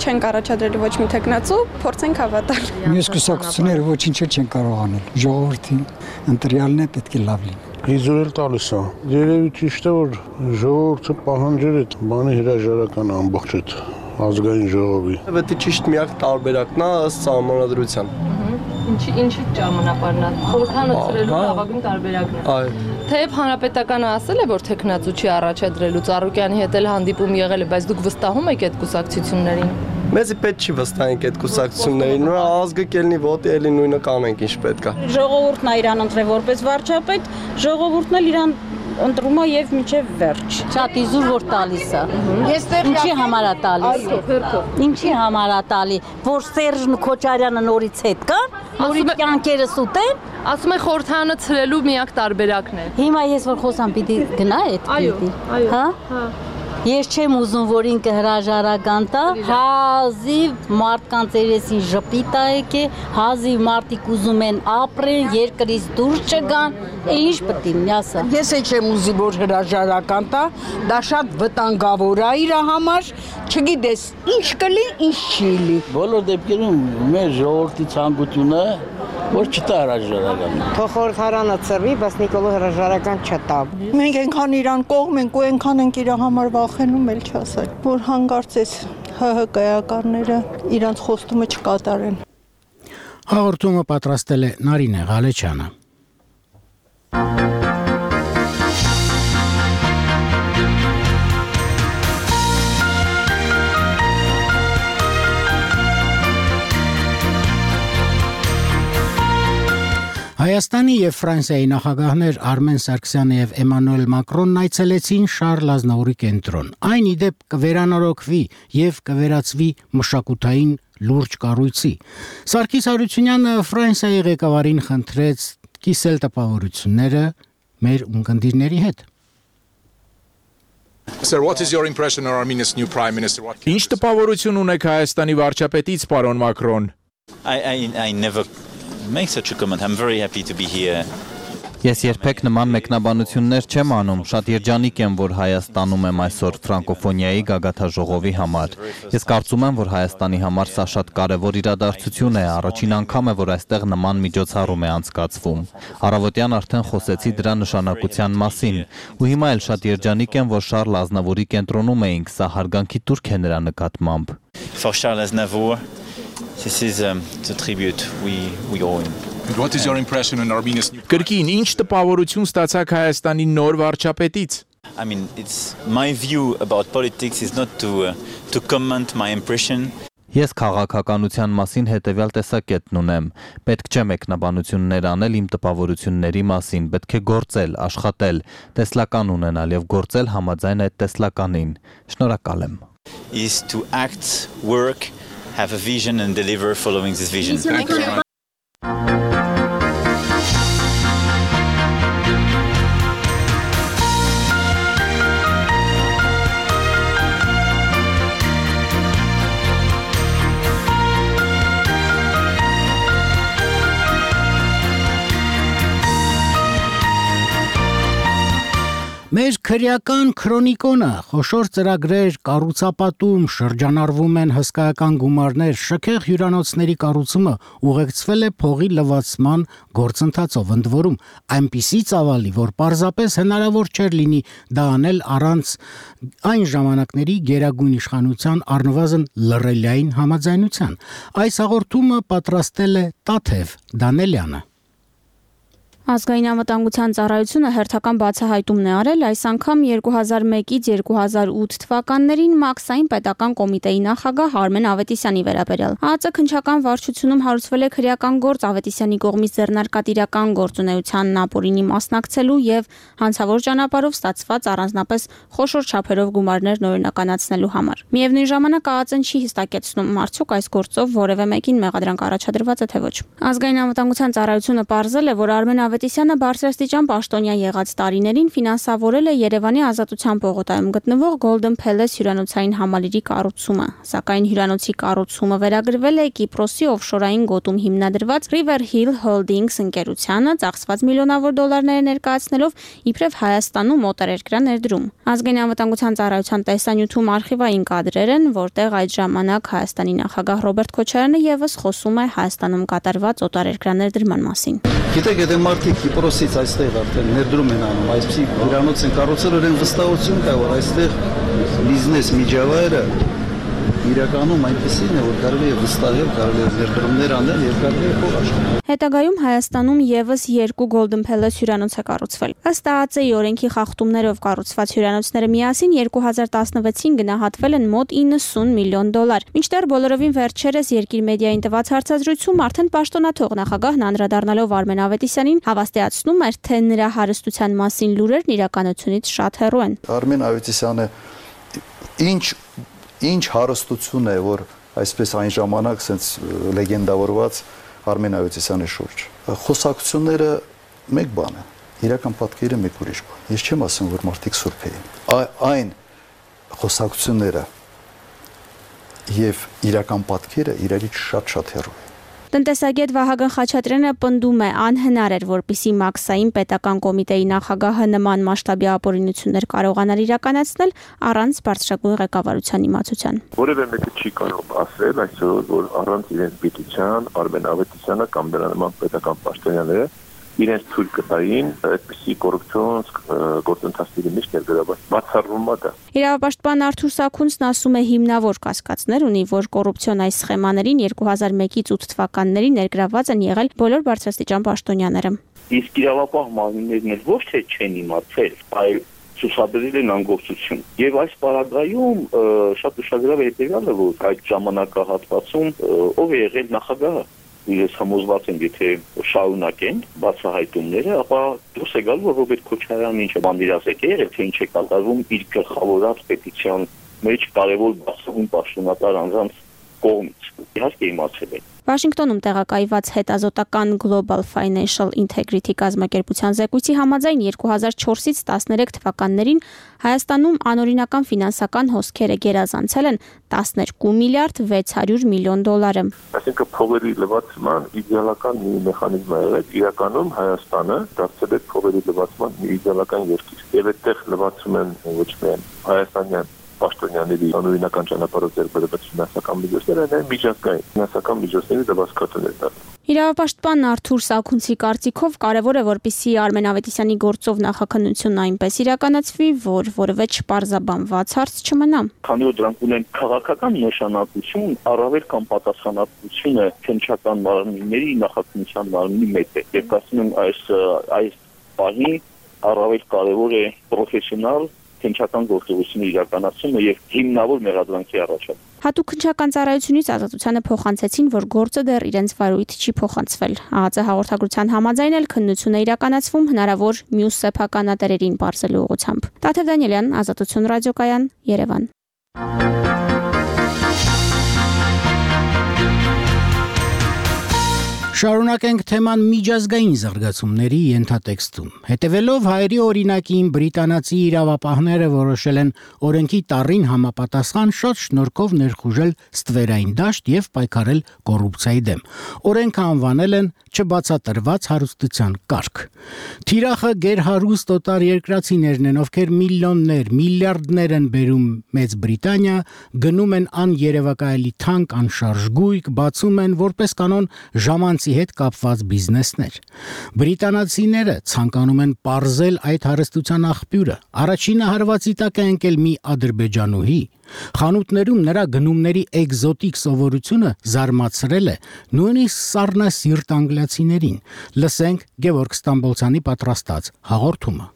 [SPEAKER 20] չեն առաջադրելու ոչ մի տեխնացու, փորձենք հավատալ։
[SPEAKER 21] Մյուս կուսակցությունները ոչինչ չեն կարող անել։ Ժողովրդի ընտրյալն է պետք է լավ լինի։ Իզուրել տալիս է։ Երևի ճիշտ է, որ ժողովուրդը պահանջեր այդ բանի հրաժարական ամբողջ այդ ազգային ժողովի։
[SPEAKER 22] Պետք է ճիշտ միակ տարբերակն է ըստ սահմանադրության։
[SPEAKER 15] Ինչի ինչի ճանապարհն է։ Խորհրդանոցրելու լավագույն տարբերակն է։
[SPEAKER 22] Այո։
[SPEAKER 15] Թեև հանրապետականը ասել է, որ տեխնացու չի առաջադրելու Ծառուկյանի հետ էլ հանդիպում եղել է, բայց դուք վստահում եք այդ կուսակցություններին։
[SPEAKER 22] Մեզի պետք չի վստահենք այդ կուսակցություններին, նույն ազգը կելնի ոտի էլի նույնը կանենք ինչ պետք է։
[SPEAKER 23] Ժողովուրդն է իրան ընտրել որպես վարչապետ, ժողովուրդն էլ իրան ընտրում է եւ մինչեւ վերջ։
[SPEAKER 24] Շատ իզուր որ տալիս է։ Ինչի համար է տալիս։ Ինչի համար է տալի, որ Սերժ Քոչարյանը նորից հետ կա, նորից կյանքերը սուտեն։
[SPEAKER 15] Ասում է խորհրդանոցրելու միակ տարբերակն է։
[SPEAKER 24] Հիմա ես որ խոսամ պիտի գնա այդ պիտի։ Հա։ Ես չեմ ուզում, որ ինքը հրաժարական տա, հազիվ մարդկանց երեսին ժպիտ է եկե, հազիվ մարդիկ ուզում են ապրեն, երկրից դուրս չգան, ինչ պետք է ասա։
[SPEAKER 23] Ես էլ չեմ ուզի, որ հրաժարական տա, դա շատ վտանգավոր է իր համար, չգիտես, ինչ կլի, ինչ չի լի։
[SPEAKER 25] Բոլոր դեպքերում մեր ժողովրդի ցանկությունը որ չտա հրաժարական։
[SPEAKER 23] Թող խորհրդարանը ծրվի, բայց Նիկոլը հրաժարական չտա։ Մենք այնքան իրան կողմ ենք ու այնքան ենք իր համար վախենում էլ չասել, որ հանգարցես ՀՀ կայականները իրանց խոստումը չկատարեն։
[SPEAKER 1] Հաղորդումը պատրաստել է Նարինե Ղալեչյանը։ Հայաստանի եւ Ֆրանսիայի նախագահներ Արմեն Սարգսյանը եւ Էմանուել Մակրոնն այցելեցին Շարլ Ազնավուրի կենտրոն։ Այն ի դեպ կվերանորոգվի եւ կվերածվի մշակութային լուրջ կառույցի։ Սարգիս Հարությունյանը Ֆրանսիայի ղեկավարին խնդրեց կիսել տպավորությունները մեր ունկնդիրների հետ։
[SPEAKER 13] Sir, what is your impression of Armenia's new prime minister?
[SPEAKER 26] Ինչ տպավորություն ունեք Հայաստանի վարչապետից, պարոն Մակրոն։
[SPEAKER 5] I, I, I never make such a comment. I'm very happy to be here.
[SPEAKER 27] Ես երբեք նման մեկնաբանություններ չեմ անում, շատ երջանիկ եմ, որ Հայաստանում եմ այսօր ֆրանկոֆոնիայի գագաթաժողովի համար։ Ես կարծում եմ, որ Հայաստանի համար սա շատ կարևոր իրադարձություն է, առաջին անգամ է, որ այստեղ նման միջոցառում է անցկացվում։ Առավոտյան արդեն խոսեցի դրա նշանակության մասին, ու հիմա էլ շատ երջանիկ եմ, որ Շարլ Ազնավուրի կենտրոնում էինք, սա հարգանքի տուրք է նրա նկատմամբ։
[SPEAKER 5] For Charles Aznavour, this is um, the tribute we, we owe him.
[SPEAKER 13] What is your impression on Armenia's new
[SPEAKER 26] Կրկին ինչ տպավորություն ստացաք Հայաստանի նոր վարչապետից։
[SPEAKER 5] I mean, it's my view about politics is not to uh, to comment my impression.
[SPEAKER 27] Ես քաղաքականության մասին հետևյալ տեսակետն ունեմ։ Պետք չէ մեկնաբանություններ անել իմ տպավորությունների մասին, պետք է գործել, աշխատել, տեսլական ունենալ եւ գործել համաձայն այդ տեսլականին։ Շնորհակալ եմ։
[SPEAKER 5] Is to act, work, have a vision and deliver following this vision.
[SPEAKER 15] Thank you.
[SPEAKER 1] Մեր քրեական քրոնիկոնը խոշոր ծրագրեր, կառուցապատում, շրջանառվում են հսկայական գումարներ, շքեղ հյուրանոցների կառուցումը ուղեկցվել է փողի լվացման գործընթացով, ընդ որում այնպիսի ծավալի, որ պարզապես հնարավոր չէր լինի դա անել առանց այն ժամանակների գերագույն իշխանության առնվազն լռելիային համաձայնության։ Այս հաղորդումը պատրաստել է Տաթև Դանելյանը։
[SPEAKER 28] Ազգային անվտանգության ծառայությունը հերթական բացահայտումն է արել այս անգամ երկու հազար մեկից երկու հազար ութ թվականներին Մաքսային պետական կոմիտեի նախագահ Արմեն Ավետիսյանի վերաբերյալ։ ԱԱԾ քննչական վարչությունում հարուցվել է քրեական գործ Ավետիսյանի կողմից ձեռնարկած իրական գործունեությանն ապօրինի մասնակցելու եւ հանցավոր ճանապարհով ստացված առանձնապես խոշոր չափերով գումարներ նորինականացնելու համար։ Միևնույն ժամանակ ԱԱԾ-ն չի հստակեցնում արդյոք այս գործով որևէ մեկին մեղադրանք առաջադրված է թե ոչ։ Ազգային անվտանգության ծառայությունը պարզել է, որ Արմեն Ավետիսյանը բարձրաստիճան պաշտոնյա եղած տարիներին ֆինանսավորել է Երևանի Ազատության պողոտայում գտնվող Golden Palace հյուրանոցային համալիրի կառուցումը, սակայն հյուրանոցի կառուցումը վերագրվել է Կիպրոսի օֆշորային գոտում հիմնադրված River Hill Holdings ընկերությանը, ծախսված միլիոնավոր դոլարներ ներկայացնելով իբրև Հայաստանում օտարերկրյա ներդրում։ Ազգային անվտանգության ծառայության տեսանյութում արխիվային կադրեր են, որտեղ այդ ժամանակ Հայաստանի նախագահ Ռոբերտ Քոչարյանը եւս խոսում է Հայաստանում կատարված օտարերկրյա ներդրման մասին։
[SPEAKER 25] Գիտեք, եթե մարդիկ
[SPEAKER 2] Գիտեք, Կիպրոսից այստեղ արդեն ներդրում են անում, այսպեսի հյուրանոց են կառուցել, որ այն վստահություն կա, որ այստեղ բիզնես միջավայրը իրականում այնպեսին է, որ կարելի է վստահել, կարելի է ներդրումներ անել եւ կարելի է փող աշխատել։
[SPEAKER 28] Հետագայում Հայաստանում եւս երկու Golden Palace հյուրանոց է կառուցվել։ Ըստ ԱԱԾ-ի օրենքի խախտումներով կառուցված հյուրանոցները միասին երկու հազար տասնվեցին գնահատվել են մոտ իննսուն միլիոն դոլար։ Մինչդեռ բոլորովին վերջերս Երկիր մեդիային տված հարցազրույցում արդեն պաշտոնաթող նախագահն անդրադառնալով Արմեն Ավետիսյանին հավաստիացնում էր, թե նրա հարստության մասին լուրերն իրականությունից շատ հեռու են։
[SPEAKER 2] Արմեն Ավետիսյանը ինչ Ինչ հարստություն է, որ այսպես այն ժամանակ sense լեգենդավորված Արմեն Ավետիսյանի շուրջ։ Խոսակցությունները մեկ բան է, իրական պատկերը մեկ ուրիշ բան։ Ես չեմ ասում, որ մարդիկ սուրբ էին։ Այն խոսակցությունները եւ իրական պատկերը իրարից շատ-շատ հեռու են։
[SPEAKER 28] Տնտեսագետ Վահագն Խաչատրյանը պնդում է, անհնար էր, որպիսի Մաքսային պետական կոմիտեի նախագահը նման մասշտաբի ապօրինություններ կարողանար իրականացնել առանց բարձրագույն ղեկավարության իմացության։
[SPEAKER 3] Որևէ մեկը չի կարող ասել այսօր, որ առանց իրենց գիտության Արմեն Ավետիսյանը կամ դրա նման պետական պաշտոնյաները իրենց թույլ կտային այդպիսի կոռուպցիոն գործընթացների մեջ ներգրավել։ Բացառվում է դա։
[SPEAKER 28] Իրավապաշտպան Արթուր Սաքունցն ասում է հիմնավոր կասկածներ ունի, որ կոռուպցիոն այս սխեմաներին երկու հազար մեկից ութ թվականներին ներգրաված են եղել բոլոր բարձրաստիճան պաշտոնյաները։
[SPEAKER 10] Իսկ իրավապահ մարմիններն էլ ոչ թե չեն իմացել, այլ ցուցաբերել են անգործություն։ Եվ այս պարագայում շատ ուշագրավ է հետևյալը, որ այդ ժամանակահատվածում ով է եղել նախագահը։ Ես համոզված եմ, եթե շարունակեն բացահայտումները, ապա դուրս է գալու, որ Ռոբերտ Քոչարյանն ինչ է բանդիրասեք է եղել, թե ինչ է կատարվում իր գլխավորած պետության մեջ կարևոր բացահայտում պաշտոնատար անձանց կողմից։ Իհարկե իմացել են։
[SPEAKER 28] Վաշինգտոնում տեղակայված հետազոտական Global Financial Integrity կազմակերպության զեկույցի համաձայն երկու հազար չորսից տասներեք թվականներին Հայաստանում անօրինական ֆինանսական հոսքերը գերազանցել են տասներկու միլիարդ վեց հարյուր միլիոն դոլարը։
[SPEAKER 3] Այսինքն փողերի լվացման իդեալական մի մեխանիզմ է եղել, իրականում Հայաստանը դարձել է փողերի լվացման մի իդեալական երկիր։ Եվ այդտեղ լվացում են ոչ միայն հայաստանյան պաշտոնյաների անօրինական ճանապարհով ձեռբերված ֆինանսական միջոցները, այլ միջազգային ֆինանսական միջոցների դասակարգներ դառնում։
[SPEAKER 28] Իրավապաշտպան Արթուր Սաքունցի կարծիքով կարևոր է, որպեսզի Արմեն Ավետիսյանի գործով նախաքննությունն այնպես իրականացվի, որ որևէ չպարզաբանված հարց չմնա։
[SPEAKER 10] Քանի որ դրանք ունեն քաղաքական նշանակություն, առավել կամ պատասխանատվությունը քննչական մարմինների նախաքննության մարմինի մեջ է։ Եվ ասում եմ, այս այս բանի առավել կարևոր է պրոֆեսիոնալ քննչական գործողությունը իրականացումը եւ հիմնավոր մեղադրանքի առաջացումը։
[SPEAKER 28] Հատուկ քննչական ծառայությունից ազատությանը փոխանցեցին, որ գործը դեռ իրենց վարույթ չի փոխանցվել։ ԱԱԾ հաղորդագրության համաձայն էլ քննությունը իրականացվում հնարավոր մյուս սեփականատերերին բարձելու ուղղությամբ։ Տաթև Դանիելյան, Ազատություն ռադիոկայան, Երևան։
[SPEAKER 1] Շարունակենք թեման միջազգային զարգացումների ենթատեքստում։ Հետևելով հայերի օրինակին բրիտանացի իրավապահները որոշել են օրենքի տառին համապատասխան շատ շնորհքով ներխուժել ստվերային դաշտ եւ պայքարել կոռուպցիայի դեմ։ Օրենքը անվանել են չբացատրված հարստության կարգ։ Թիրախը գերհարուստ օտար երկրացիներն են, ովքեր միլիոններ, միլիարդներ են բերում Մեծ Բրիտանիա, գնում են աներևակայելի թանկ, անշարժ գույք, բացում են որպես կանոն ժամանցի հետ կապված բիզնեսներ։ Բրիտանացիները ցանկանում են պարզել այդ հարստության աղբյուրը։ Առաջինը հարվածի տակ է ընկել մի ադրբեջանուհի։ Խանութներում նրա գնումների էկզոտիկ սովորությունը զարմացրել է նույնիսկ սառնասիրտ անգլիացիներին։ Լսենք Գևորգ Ստամբոլցյանի պատրաստած հաղորդումը։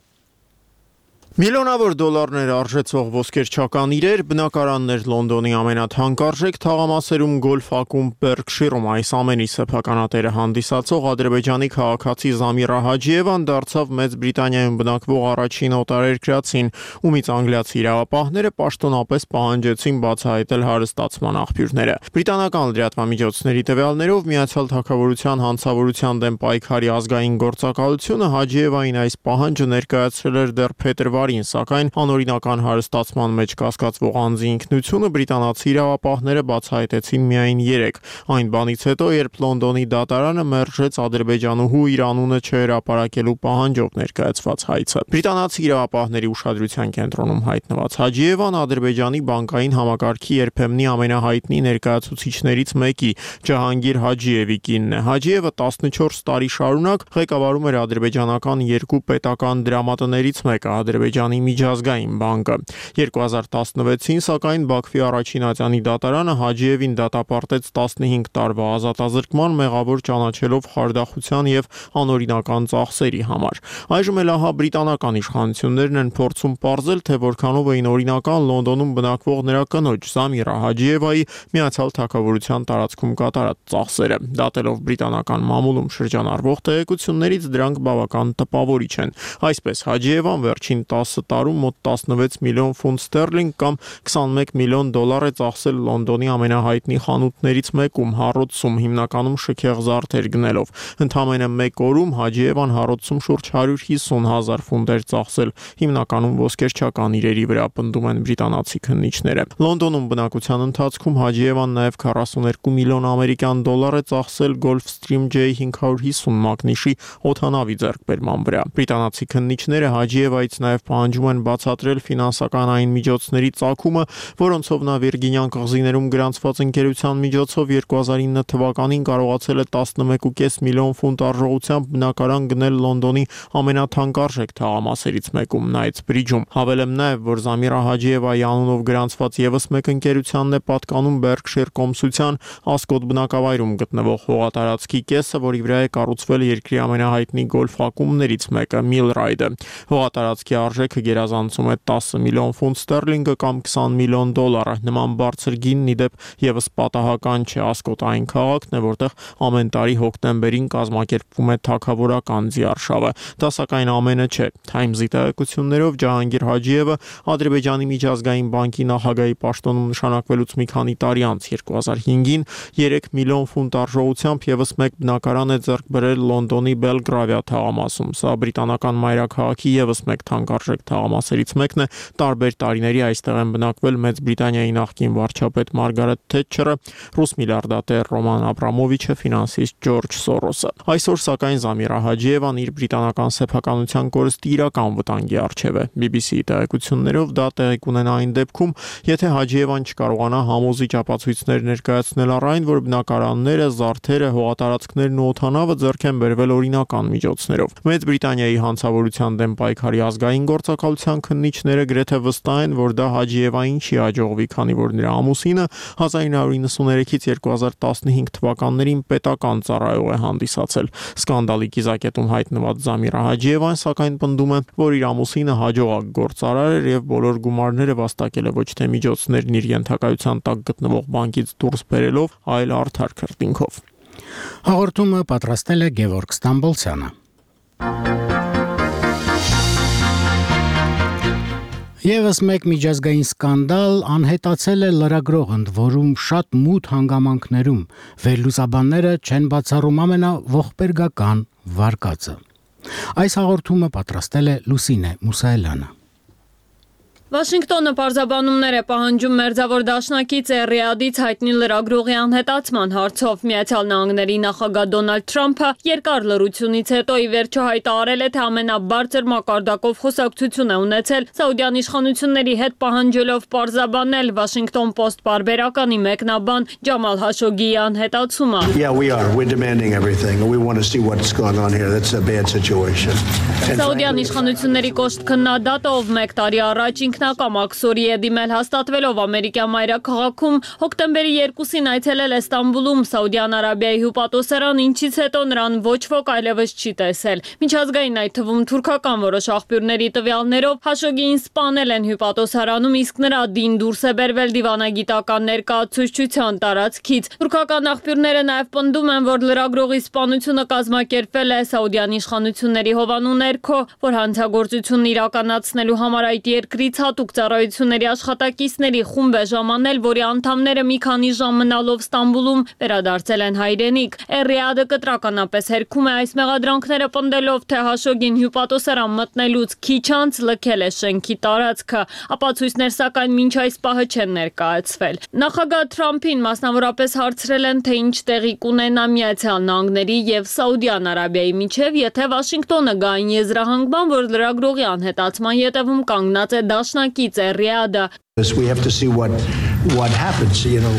[SPEAKER 4] Միլիոնավոր դոլարներ արժեցող ոսկերչական իրեր, բնակարաններ Լոնդոնի ամենաթանկարժեք թաղամասերում գոլֆ ակումբ Բերքշիրում այս ամենի սեփականատերը հանդիսացող ադրբեջանի քաղաքացի Զամիրա Հաջիևան դարձավ Մեծ Բրիտանիայում բնակվող առաջին օտարերկրացին, ումից անգլիացի իրավապահները պաշտոնապես պահանջեցին բացահայտել հարստացման աղբյուրները։ Բրիտանական լրատվամիջոցների տվյալներով Միացյալ Թագավորության հանցավորության դեմ պայքարի ազգային գործակալությունը Հաջիևային այս պահանջը ներկայացրել էր դեռ փետրվարի փետրվարին, սակայն անօրինական հարստացման մեջ կասկածվող անձի ինքնությունը բրիտանացի իրավապահները բացահայտեցին միայն երեկ, այն բանից հետո, երբ Լոնդոնի դատարանը մերժեց ադրբեջանուհու իր անունը չհրապարակելու պահանջով ներկայացված հայցը։ Բրիտանացի իրավապահների ուշադրության կենտրոնում հայտնված Հաջիևան Ադրբեջանի բանկային համակարգի երբեմնի ամենահայտնի ներկայացուցիչներից մեկի Ջահանգիր Հաջիևի կինն է։ Հաջիևը տասնչորս տարի շարունակ ղեկավարում էր ադրբեջանական երկու պետական դրամատներից մեկը Ադրբեջանի միջազգային բանկը։ երկու հազար տասնվեցին, սակայն Բաքվի առաջին ատյանի դատարանը Հաջիևին դատապարտեց տասնհինգ տարվա ազատազրկման մեղավոր ճանաչելով խարդախության եւ անօրինական ծախսերի համար։ Այժմ էլ ահա բրիտանական իշխանություններն են փորձում պարզել, թե որքանով էին օրինական Լոնդոնում բնակվող նրա կնոջ Զամիրա Հաջիևայի Միացյալ Թագավորության տարածքում կատարած ծախսերը։ Դատելով բրիտանական մամուլում շրջանառվող տեղեկություններից դրանք բավական տպավորիչ են։ Այսպես Հաջիևան վերջին տասը տարում մոտ տասնվեց միլիոն ֆունտ ստերլինգ կամ քսանմեկ միլիոն դոլար է ծախսել Լոնդոնի ամենահայտնի խանութներից մեկում հառոցում, հիմնականում շքեղ զարդեր գնելով։ Ընդամենը մեկ օրում Հաջիևան հառոցում շուրջ հարյուր հիսուն հազար ֆունտ էր ծախսել, հիմնականում ոսկերչական իրերի վրա, պնդում են բրիտանացի քննիչները։ Լոնդոնում բնակության ընթացքում Հաջիևան նաև քառասուներկու միլիոն ամերիկյան դոլար է ծախսել Gulfstream J հինգ հարյուր հիսուն մագնիշի օդանավի ձեռքբերման վրա։ Բրիտանացի քննիչները Հաջիևայից նաև պահանջում են բացատրել ֆինանսական այն միջոցների ծագումը, որոնցով նա Վիրգինյան կղզիներում գրանցված ընկերության միջոցով երկու հազար ինը թվականին կարողացել է տասնմեկ կόμμα պենս միլիոն ֆունտ արժողությամբ բնակարան գնել Լոնդոնի ամենաթանկարժեք թաղամասերից մեկում Knightsbridge-ում։ Հավելեմ նաև, որ Զամիրա Հաջիևայի անունով գրանցված եւս մեկ ընկերությանն է պատկանում Berkshire կոմսության Ասկոտ բնակավայրում գտնվող հողատարածքի կեսը, որի վրա է կառուցվել երկրի ամենահայտնի գոլֆ ակումբներից մեկը Millride-ը։ Հողատարածքի արժեքը գերազանցում է տասը միլիոն ֆունտ ստերլինգը կամ քսան միլիոն դոլարը։ Նման բարձր գինն ի դեպ եւս պատահական չէ։ Ասկոտ այն քաղաքն է, որտեղ ամեն տարի հոկտեմբերին կազմակերպվում է թագավորական ձիարշավը։ Դա սակայն ամենը չէ։ Times-ի տեղեկություններով Ջահանգիր Հաջիևը Ադրբեջանի միջազգային բանկի նախագահի պաշտոնում նշանակվելուց մի քանի տարի անց երկու հազար հինգին երեք միլիոն ֆունտ արժողությամբ եւս մեկ բնակարան է ձեռք բերել Լոնդոնի Բելգրավիա թաղամասում։ Սա բրիտանական մայրաքաղաքի եւս մեկ թանկարժեք թաղամասերից մեկն է։ Տարբեր տարիների այստեղ են բնակվել Մեծ Բրիտանիայի նախկին վարչապետ Մարգարետ Թետչերը, ռուս միլիարդատեր Ռոման Աբրամովիչը, ֆինանսիստ Ջորջ Սորոսը։ Այսօր սակայն Զամիրա Հաջիևան իր բրիտանական սեփականության կորստի իրական վտանգի առջև է։ B B C-ի տեղեկություններով դա տեղի կունենա այն դեպքում, եթե Հաջիևան չկարողանա համոզիչ ապացույցներ ներկայացնել առ այն, որ բնակարանները, զարդերը, հողատարածքներն ու օդանավը ձեռք են բերվել օրինական միջոցներով։ Մեծ Բրիտանիայի հանցավորության դեմ պայքարի ազգային գործակալության քննիչները գրեթե վստահ են, որ դա Հաջիևային չի հաջողվի, քանի որ նրա ամուսինը հազար ինը հարյուր իննսուներեքից երկու հազար տասնհինգ թվականներին պետական ծառայող է հանդիսացել։ Սկանդալի կիզակետում հայտնված Զամիրա Հաջիևան սակայն պնդում է, որ իր ամուսինը հաջողակ գործարար էր եւ բոլոր գումարները վաստակել է ոչ թե միջոցներն իր ենթակայության տակ գտնվող բանկից դուրս բերելով, այլ արդար քրտինքով։
[SPEAKER 1] Հաղորդումը պատրաստել է Գևորգ Ստամբոլցյանը։ Եվս մեկ միջազգային սկանդալ անհետացել է լրագրող ընդ որում շատ մութ հանգամանքներում։ Վերլուծաբանները չեն բացառում ամենաողբերգական վարկածը։ Այս հաղորդումը պատրաստել է Լուսինե Մուսայելյանը։
[SPEAKER 6] Վաշինգտոնը պարզաբանումներ է պահանջում մերձավոր դաշնակից Ռիադից հայտնի լրագրողի անհետացման հարցով։ Միացյալ Նահանգների նախագահ Դոնալդ Թրամփը երկար լռությունից հետո ի վերջո հայտարարել է, թե ամենաբարձր մակարդակով խոսակցություն է ունեցել Սաուդյան իշխանությունների հետ, պահանջելով պարզաբանել Washington Post պարբերականի մեկնաբան Ջամալ Հաշոգիի անհետացումը։
[SPEAKER 7] Yeah, we are. We're demanding everything and we want to see what's going on here. That's a bad situation.
[SPEAKER 6] Սաուդյան իշխանությունների կոշտ քննադատը, ով մեկ տարի առաջ ինքնակամ աքսորի է դիմել հաստատվելով Ամերիկյան մայրաքաղաքում, հոկտեմբերի երկուսին այցելել է Ստամբուլում Սաուդյան Արաբիայի հյուպատոսարան, ինչից հետո նրան ոչ ոք այլևս չի տեսել։ Միջազգային, այդ թվում թուրքական որոշ աղբյուրների տվյալներով Հաշոգիին սպանել են հյուպատոսարանում, իսկ նրա դին դուրս է բերվել դիվանագիտական ներկայացուցչության տարածքից։ Թուրքական աղբյուրները նաև պնդում են, որ լրագրողի սպանությունը կազմակերպվել է Սաուդյան իշխանությունների հովանու ներքո, որ հանցագործությունն իրականացնելու համար այդ երկրից հատուկ ծառայությունների աշխատակիցների խումբ է ժամանել, որի անդամները մի քանի ժամ մնալով Ստամբուլում վերադարձել են հայրենիք։ Էռիադը կտրականապես հերքում է այս մեղադրանքները պնդելով, թե Հաշոգին հյուպատոսարան մտնելուց քիչ անց լքել է շենքի տարածքը։ Ապացույցներ սակայն մինչ այս պահը չեն ներկայացվել։ Նախագահ Թրամփին մասնավորապես հարցրել են, թե ինչ տեղի կունենա Միացյալ Նահանգների եւ Սաուդյան Արաբիայի միջև, եթե Վաշինգտոնը գա այն եզրահանգման, որ լրագրողի անհետացման ետևում կանգնած է դաշնակից Էռիադը։
[SPEAKER 7] We have to see what what happens, you know.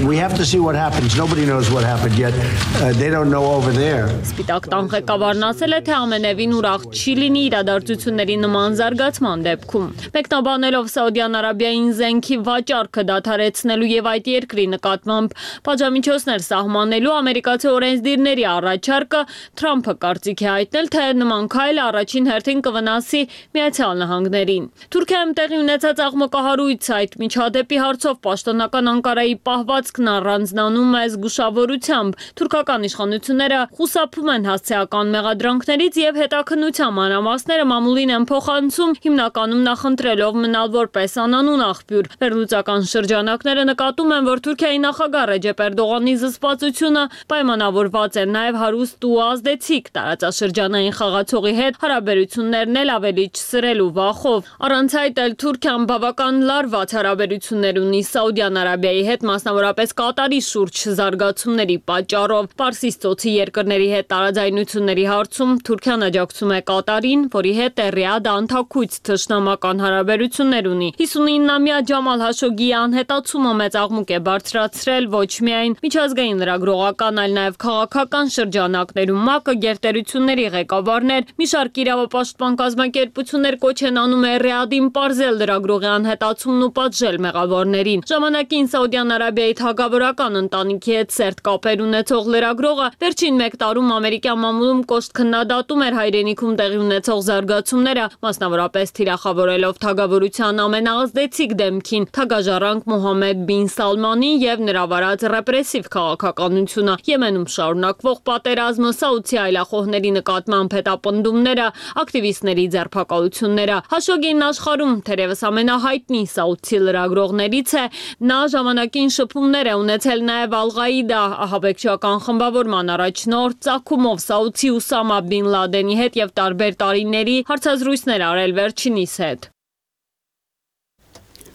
[SPEAKER 7] We have to see what happens. Nobody knows what happened yet. Uh, they don't know over there.
[SPEAKER 6] Սպիտակ տան ղեկավարն ասել է, թե ամենևին ուրախ չի լինի իրադարձությունների նման զարգացման դեպքում։ Մեկնաբանելով Սաուդյան Արաբիային զենքի վաճառքը դադարեցնելու եւ այդ երկրի նկատմամբ պատժամիջոցներ սահմանելու ամերիկացի օրենսդիրների առաջարկը, Թրամփը կարծիք է հայտնել, թե նման քայլը առաջին հերթին կվնասի Միացյալ Նահանգներին։ Թուրքիայում տեղի ունեցած աղմկահարույց այդ միջադեպի հարցով պաշտոնական Անկարայի պահվածքն առանձնանում է զգուշավորությամբ։ Թուրքական իշխանությունները խուսափում են հասցեական մեղադրանքներից եւ հետաքննության մանրամասները մամուլին են փոխանցում, հիմնականում նախընտրելով մնալ որպես անանուն աղբյուր։ Վերլուծական շրջանակները նկատում են, որ Թուրքիայի նախագահ Ռեջեփ Էրդողանի զսպվածությունը պայմանավորված է նաեւ հարուստ ու ազդեցիկ տարածաշրջանային խաղացողի հետ հարաբերություններն էլ ավելի չսրելու վախով։ Առանց այդ էլ Թուրքիան բավական լարված հարաբերություններ ունի Սաուդյան Արաբիայի հետ, մասնավորապես Կատարի շուրջ զարգացումների պատճառով։ Պարսից ծոցի երկրների հետ տարաձայնությունների հարցում Թուրքիան աջակցում է Կատարին, որի հետ Էռիադը անթաքույց թշնամական հարաբերություններ ունի։ հիսունինամյա Ջամալ Հաշոգիի անհետացումը մեծ աղմուկ է բարձրացրել ոչ միայն միջազգային լրագրողական, այլ նաև քաղաքական շրջանակներում։ ՄԱԿ-ը գերտերությունների ղեկավարներ, մի շարք իրավապաշտպան կազմակերպություններ կոչ են անում Էռիադին պարզել լրագրողի անհետացումն ու պատժել մեղավորներին։ Ժամանակին Սաուդյան Արաբիայի թագավորական ընտանիքի հետ սերտ կապեր ունեցող լրագրողը վերջին մեկ տարում ամերիկյան մամուլում կոշտ քննադատում էր հայրենիքում տեղի ունեցող զարգացումները, մասնավորապես թիրախավորելով թագավորության ամենաազդեցիկ դեմքին թագաժառանգ Մոհամմեդ բին Սալմանին եւ նրա վարած ռեպրեսիվ քաղաքականությունը, Եմենում շարունակվող պատերազմը, Սաուդի այլախոհների նկատմամբ հետապնդումները, ակտիվիստների ձերբակալությունները։ Հաշոգին աշխարհում թերևս ամենահայտնի սաուդցի լրագրողներից է, նա ժամանակին շփումներ է ունեցել նաև Ալ-Ղաիդա ահաբեկչական խմբավորման առաջնորդ ծագումով Սաուդցի Ուսամա բին Լադենի հետ եւ տարբեր տարիների հարցազրույցներ արել վերջինիս հետ։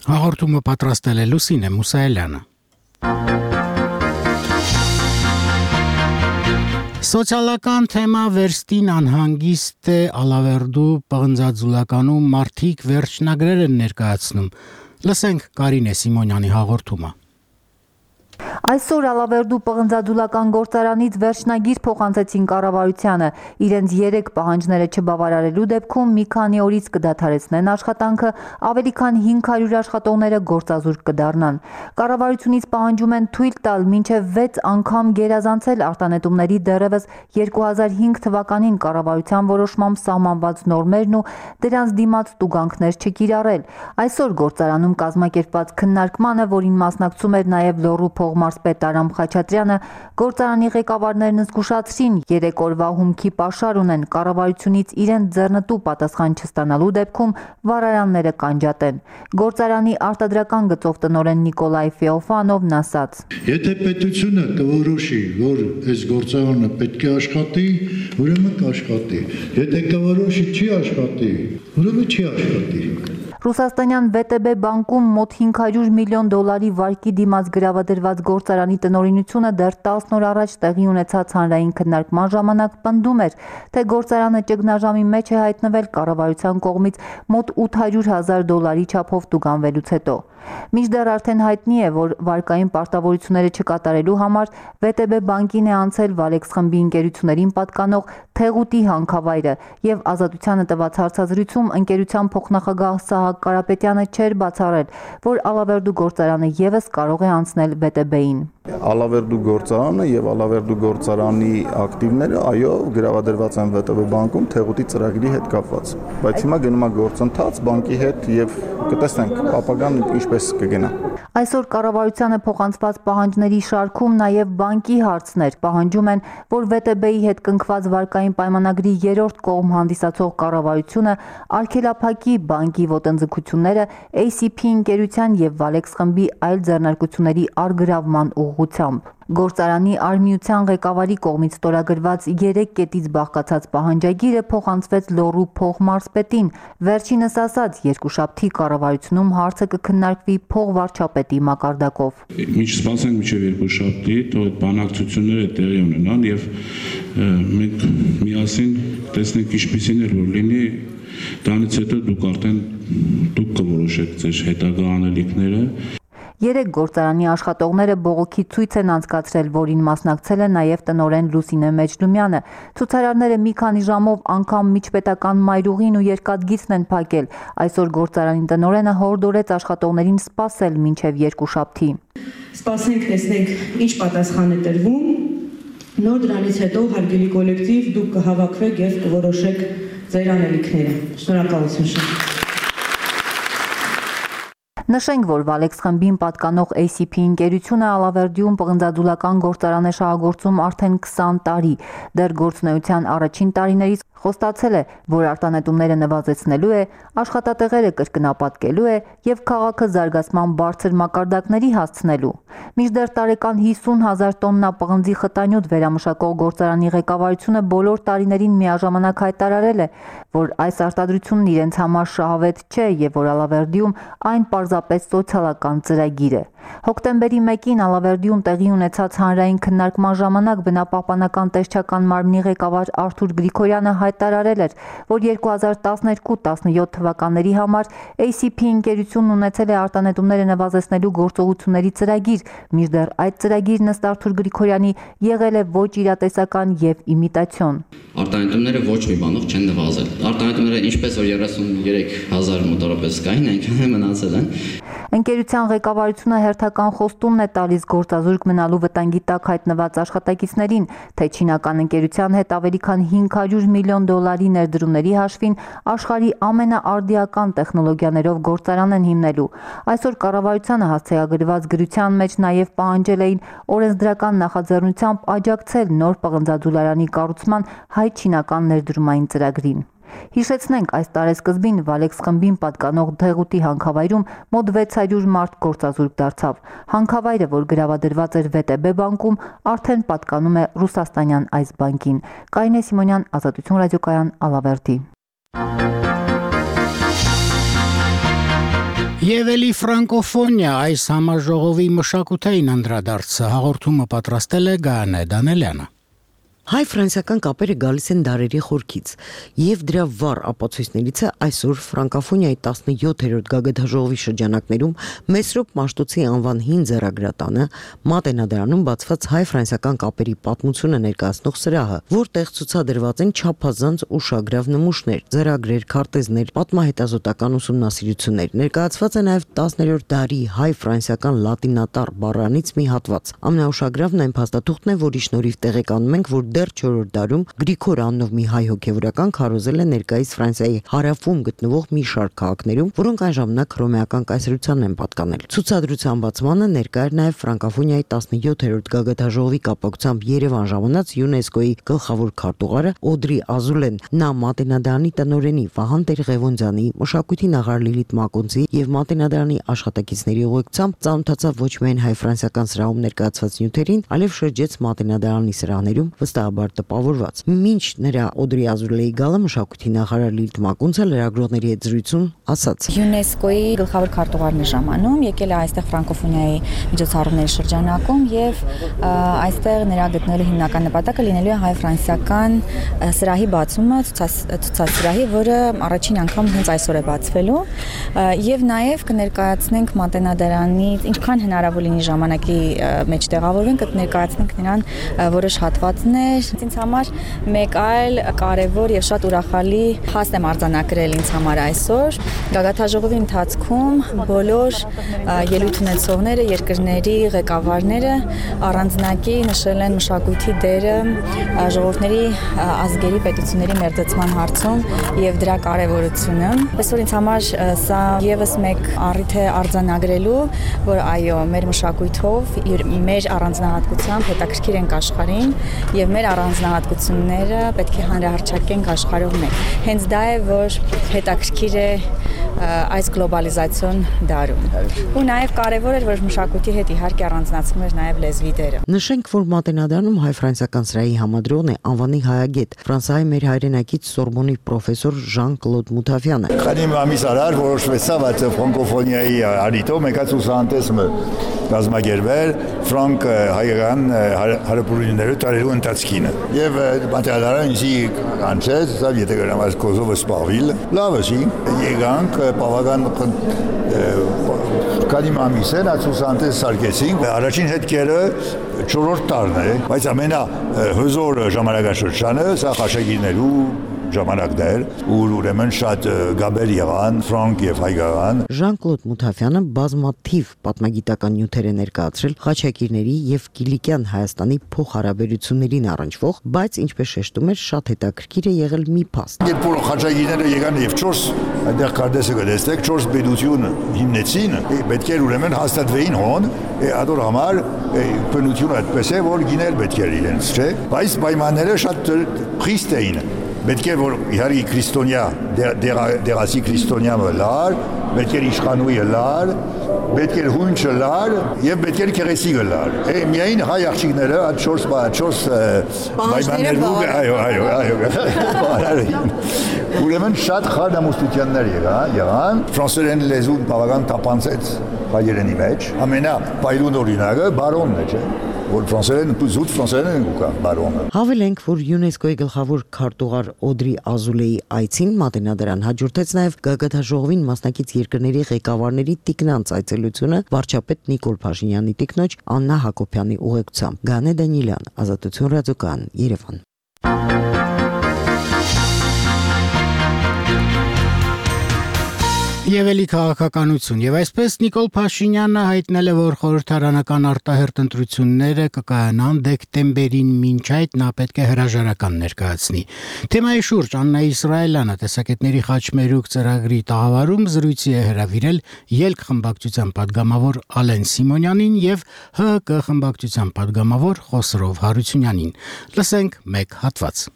[SPEAKER 1] Հաղորդումը պատրաստել է Լուսինե Մուսայելյանը։ Սոցիալական թեմա վերստին անհանգիստ է Ալավերդու պղնձաձուլականում մարդիկ վերջնագրեր են ներկայացնում։ Լսենք Կարինե Սիմոնյանի հաղորդումը։
[SPEAKER 8] Այսօր Ալավերդու պղնձաձուլական գործարանից վերջնագիր փոխանցեցին կառավարությանը։ Իրենց երեք պահանջները չբավարարելու դեպքում մի քանի օրից կդադարեցնեն աշխատանքը, ավելի քան հինգ հարյուր աշխատողները գործազուրկ կդառնան։ Կառավարությունից պահանջում են թույլ տալ մինչև վեց անգամ գերազանցել արտանետումների դեռևս երկու հազար հինգ թվականին կառավարության որոշմամբ սահմանված նորմերն ու դրանց դիմաց տուգանքներ չկիրառել։ Այսօր գործարանում կազմակերպված քննարկմանը, որին մասնակցում էր նաև Լոռու փողմարզպետ Արամ Խաչատրյանը, գործարանի ղեկավարներն զգուշացրին երեք օրվա հումքի պաշար ունեն, կառավարությունից իրենց ձեռնտու պատասխան չստանալու դեպքում վարարանները կանջատեն։ Գործարանի արտադրական գծով տնօրեն Նիկոլայ Ֆեոֆանովն ասաց.
[SPEAKER 9] Եթե պետությունը կորոշի, որ այս գործարանը պետք է աշխատի, ուրեմն կաշխատի։ Եթե կորոշի չի աշխատի, ուրեմն չի աշխատի։
[SPEAKER 8] Ռուսաստանյան վե տե բե բանկում մոտ հինգ հարյուր միլիոն դոլարի վարկի դիմաց գրավադրված գործարանի տնօրինությունը դեռ տասն օր առաջ տեղի ունեցած հանրային քննարկման ժամանակ պնդում էր, թե գործարանը ճգնաժամի մեջ է հայտնվել կառավարության կողմից մոտ ութ հարյուր հազար դոլարի չափով տուգանվելուց հետո։ Մինչդեռ արդեն հայտնի է, որ վարկային պարտավորությունները չկատարելու համար վե տե բե բանկին է անցել Վալեքս խմբի ընկերություններին պատկանող Թեղուտի հանքավայրը եւ Ազատությանը տված հարցազրույցում ընկերության փոխնախագահ Սահակ Կարապետյանը չէր բացառել, որ Ալավերդու գործարանը եւս կարող է անցնել վե տե բեին։
[SPEAKER 11] Ալավերդու գործարանը եւ Ալավերդու գործարանի ակտիվները, այո, գրավադրված են վե տե բե բանկում Թեղուտի ծրագրի հետ կապված։ Բայց հիմա գնում է գործընթաց բանկի հետ եւ կտեսնենք ապագան ինչպես կգնա։
[SPEAKER 8] Այսօր կառավարությանը փոխանցված պահանջների շարքում նաև բանկի հարցներ պահանջում են, որ վե տե բեի հետ կնքված վարկային պայմանագրի երրորդ կողմ հանդիսացող կառավարությունը արգելափակի բանկի ոտընթացը հանձնձգությունները A C P ընկերության եւ Valex խմբի այլ ձեռնարկությունների առգրավման ուղղությամբ։ Գործարանի արմիության ղեկավարի կողմից ստորագրված երեք կետից բաղկացած պահանջագիրը փոխանցվեց Լոռու փոխմարզպետին։ Վերջինս ասաց, երկուշաբթի կառավարությունում հարցը կքննարկվի փոխվարչապետի մակարդակով։
[SPEAKER 12] Մինչ սպասենք մինչև երկուշաբթի, թող այդ բանակցությունները տեղի ունենան եւ մենք միասին տեսնենք ինչպիսին է որ լինի, դրանից հետո դուք արդեն դուք կորոշեք ձեր հետագա անելիքները։
[SPEAKER 8] Երեք գործարանի աշխատողները բողոքի ցույց են անցկացրել, որին մասնակցել է նաև տնօրեն Լուսինե Մեջլումյանը։ Ցուցարարները մի քանի ժամով անգամ միջպետական մայրուղին ու երկաթգիծն են փակել։ Այսօր գործարանի տնօրենը հորդորեց աշխատողներին սպասել մինչև երկուշաբթի։
[SPEAKER 14] Սպասենք, տեսնենք ինչ պատասխան է տրվում։ Նոր դրանից հետո հարգելի կոլեկտիվ դուք կհավաքվեք եւ կորոշեք ձեր անելիքները։ Շնորհակալություն շատ։
[SPEAKER 8] Նշենք, որ Valex խմբին պատկանող A C P ընկերությունը Ալավերդիում պղնձադուլական գործարան է շահագործում արդեն քսան տարի։ Դեռ գործունեության առաջին տարիներից խոստացել է, որ արտանետումները նվազեցնելու է, աշխատատեղերը կրկնապատկելու է եւ քաղաքը զարգացման բարձր մակարդակների հասցնելու։ Մինչդեռ տարեկան հիսուն հազար տոննա պղնձի խտանյութ վերամշակող գործարանի ղեկավարությունը բոլոր տարիներին միաժամանակ հայտարարել է, որ այս արտադրությունն իրենց համար շահավետ չէ եւ որ Ալավերդիում այն պարզապես սոցիալական ծրագիր է։ Հոկտեմբերի մեկին Ալավերդիում տեղի ունեցած հանրային քննարկման ժամանակ բնապահպանական տեսչական մարմնի ղեկավար Արթուր Գրիգորյանը հայտարարել էր, որ երկու հազար տասներկու տասնյոթ թվականների համար A C P ընկերությունն ունեցել է արտանետումները նվազեցնելու գործողությունների ծրագիր, մինչդեռ այդ ծրագիրն ըստ Արթուր Գրիգորյանի եղել է ոչ իրատեսական եւ իմիտացիոն։
[SPEAKER 16] Արտանետումները ոչ մի բանով չեն նվազել։ Արտանետումները ինչպես որ երեսուններեք հազար մոտավորապես կային, այնքան է մնացել են։
[SPEAKER 8] Ընկերության ղեկավարությունը հերթական խոստումն է տալիս գործազուրկ մնալու վտանգի տակ հայտնված աշխատակիցներին, թե չինական ընկերության հետ ավելի քան հինգ հարյուր միլիոն դոլարի ներդրումների հաշվին աշխարհի ամենաարդիական տեխնոլոգիաներով գործարան են հիմնելու։ Այսօր կառավարությանը հասցեագրված գրության մեջ նաև պահանջել էին օրենսդրական նախաձեռնությամբ աջակցել նոր պղնձադուլարանի կառուցման հայ-չինական ներդրումային ծրագրին։ Հիշեցնենք, այս տարեսկզբին Valex խմբին պատկանող Թեղուտի հանքավայրում մոտ վեց հարյուր մարդ գործազուրկ դարձավ։ Հանքավայրը, որ գրավադրված էր V T B բանկում, արդեն պատկանում է ռուսաստանյան այս բանկին։ Կարինե Սիմոնյան, Ազատություն ռադիոկայան, Ալավերդի։
[SPEAKER 1] Եվ էլի ֆրանկոֆոնիա այս համաժողովի մշակութային անդրադարձը հաղորդումը պատրաստել է Գայանե Դանելյանը։
[SPEAKER 17] Հայ-ֆրանսիական կապերը գալիս են դարերի խորքից, եւ դրա վառ ապացույցներից է այսօր Ֆրանկոֆոնիայի տասնյոթերորդ գագաթնաժողովի շրջանակներում Մեսրոպ Մաշտոցի անվան հին ձեռագրատանը Մատենադարանում բացված հայ-ֆրանսիական կապերի պատմությունը ներկայացնող սրահը, որտեղ ցուցադրված են չափազանց ուշագրավ նմուշներ, ձեռագրեր, քարտեզներ, պատմահետազոտական ուսումնասիրություններ։ Ներկայացված է նաեւ տասներորդ դարի հայ-ֆրանսիական լատինատառ բառանից մի հատված։ Ամենաուշագրավն այն փաստաթուղթն է, որի շնորհիվ տեղեկանում ենք, որ դեռ չորրորդ դարում Գրիգոր անունով մի հայ հոգևորական քարոզել է ներկայիս Ֆրանսիայի հարավում գտնվող մի շարք քաղաքներում, որոնք այն ժամանակ հռոմեական կայսրությանն են պատկանել։ Ցուցադրության բացմանը ներկա էր նաև Ֆրանկոֆոնիայի տասնյոթերորդ գագաթնաժողովի կապակցությամբ Երևան ժամանած ՅՈՒՆԵՍԿՕ-ի գլխավոր քարտուղարը Օդրի Ազուլեն, նա Մատենադարանի տնօրենի Վահան Տեր-Ղևոնդյանի, մշակույթի նախարար Լիլիթ Մակոնցի եւ Մատենադարանի աշխատակիցների ուղեկցությամբ ծանոթացավ ոչ միայն հայ-ֆրանսիական սրահում ներկայացված նյութերին, այլև շրջեց Մատենադարանի սրահներում վստահաբար տպավորված։ Մինչ նրա Օդրի Ազուլեի գալը մշակույթի նախարար Լիլիթ Մակոնցը լրագրողների հետ զրույցում ասաց.
[SPEAKER 18] ՅՈՒՆԵՍԿՕ-ի գլխավոր քարտուղարն է ժամանում, եկել է այստեղ Ֆրանկոֆոնիայի միջոցառումների շրջանակում եւ այստեղ նրա գտնելու հիմնական նպատակը լինելու է հայ-ֆրանսիական սրահի բացումը, ցուցասրահի, որը առաջին անգամ հենց այսօր է բացվելու եւ նաեւ կներկայացնենք Մատենադարանից ինչքան հնարավոր լինի ժամանակի մեջ տեղավորվենք, կներկայացնենք նրան որոշ հատվածներ։ Ինձ համար մեկ այլ կարևոր եւ շատ ուրախալի հաստ եմ արձանագրել ինձ համար այսօր։ Գագաթնաժողովի ընթացքում բոլոր ելույթ ունեցողները, երկրների ղեկավարները առանձնակի նշել են մշակույթի դերը ժողովուրդների ազգերի պետությունների մերձեցման հարցում եւ դրա կարեւորությունը։ Այսօր ինձ համար սա եւս մեկ առիթ է արձանագրելու, որ այո, մեր մշակույթով, մեր առանձնահատկությամբ հետաքրքիր ենք աշխարհին եւ մեր առանձնահատկությունները պետք է հանրահռչակենք աշխարհով մեկ։ Հենց դա է, որ հետաքրքիր է այս գլոբալիզացիոն դարում։ Ու նաև կարևոր էր, որ մշակույթի հետ իհարկե առանձնացվում էր նաև լեզվի դերը։
[SPEAKER 17] Նշենք, որ Մատենադարանում հայ-ֆրանսիական սրահի համադրողն է անվանի հայագետ, Ֆրանսիայի մեր հայրենակից Սորբոնի պրոֆեսոր Ժան-Կլոդ Մութավյանը։
[SPEAKER 13] Քանի ամիս առաջ որոշվեցավ այդ ֆրանկոֆոնիայի արիտո մեկ ցուցահանդեսը կազմակերպել ֆրանկ հայկական հարաբերությունների տարերու ընթացքին։ Եվ Մատենադարը ինձ կանչեց, ասավ եթե գրամաս Կոզովը սպառվիլ, լավ է, եկանք բավական քանի ամիս են այդ ցուցահանդես սարքեցինք, առաջին հետքերը չորրորդ տարն է, բայց ամենա հզոր ժամանակաշրջանը սա աշակերտներու ժամանակն էր, ուր ուրեմն շատ գաբեր եղան, ֆրանկ եւ հայկական։
[SPEAKER 17] Ժան-Կլոդ Մութավյանը բազմաթիվ պատմագիտական նյութեր է ներկայացրել Խաչակիրների եւ Կիլիկյան Հայաստանի փոխհարաբերություններին առնչվող, բայց ինչպես շեշտում էր, շատ հետաքրքիր է եղել մի փաստ։
[SPEAKER 13] Երբ որ խաչակիրները եկան եւ չորս այնտեղ կարդեսը գտեցեք, չորս պետություն հիմնեցին, պետք էր ուրեմն հաստատվեին հոն, ադոր համար բնությունը այդպես է, որ գինել պետք էր իրենց, չէ՞։ Բայց պայմանները շատ խիստ էին։ Պետք է որ իհարկե քրիստոնյա դերասի քրիստոնյա լար, պետք է իշխանուի լար, պետք է հունչը լար եւ պետք է քերեսիգը լար։ Է միայն հայ աղջիկները այդ չորս չորս պայմաններով այո այո այո։ Ուրեմն շատ խարդամուստություններ եղան, եղան ֆրանսերեն լեզուն բավական տապանցեց հայերենի մեջ։ Ամենա բայրուն օրինակը բարոնն է, չէ՞։ Որ ֆրանսերեն զուտ ֆրանսերեն են ուկա բարոնը։
[SPEAKER 17] Հավելենք, որ ՅՈՒՆԵՍԿՕ-ի գլխավոր քարտուղար Օդրի Ազուլեի այցին Մատենադարան հաջորդեց նաև գագաթաժողովին մասնակից երկրների ղեկավարների տիկնանց այցելությունը վարչապետ Նիկոլ Փաշինյանի տիկնոջ Աննա Հակոբյանի ուղեկցությամբ։ Գանե Դանիելյան, Ազատություն ռադիոկայան, Երևան։
[SPEAKER 1] Եվ էլի քաղաքականություն, եւ այսպես Նիկոլ Փաշինյանը հայտնել է, որ խորհրդարանական արտահերթ ընտրությունները կկայանան դեկտեմբերին, մինչ այդ նա պետք է հրաժարական ներկայացնի։ Թեմայի շուրջ Աննա Իսրայելյանը տեսակետների խաչմերուկ ծրագրի տաղավարում զրույցի է հրավիրել ելք խմբակցության падգամավոր Ալեն Սիմոնյանին եւ ՀՀԿ խմբակցության падգամավոր Խոսրով Հարությունյանին։ Լսենք մեկ հատված։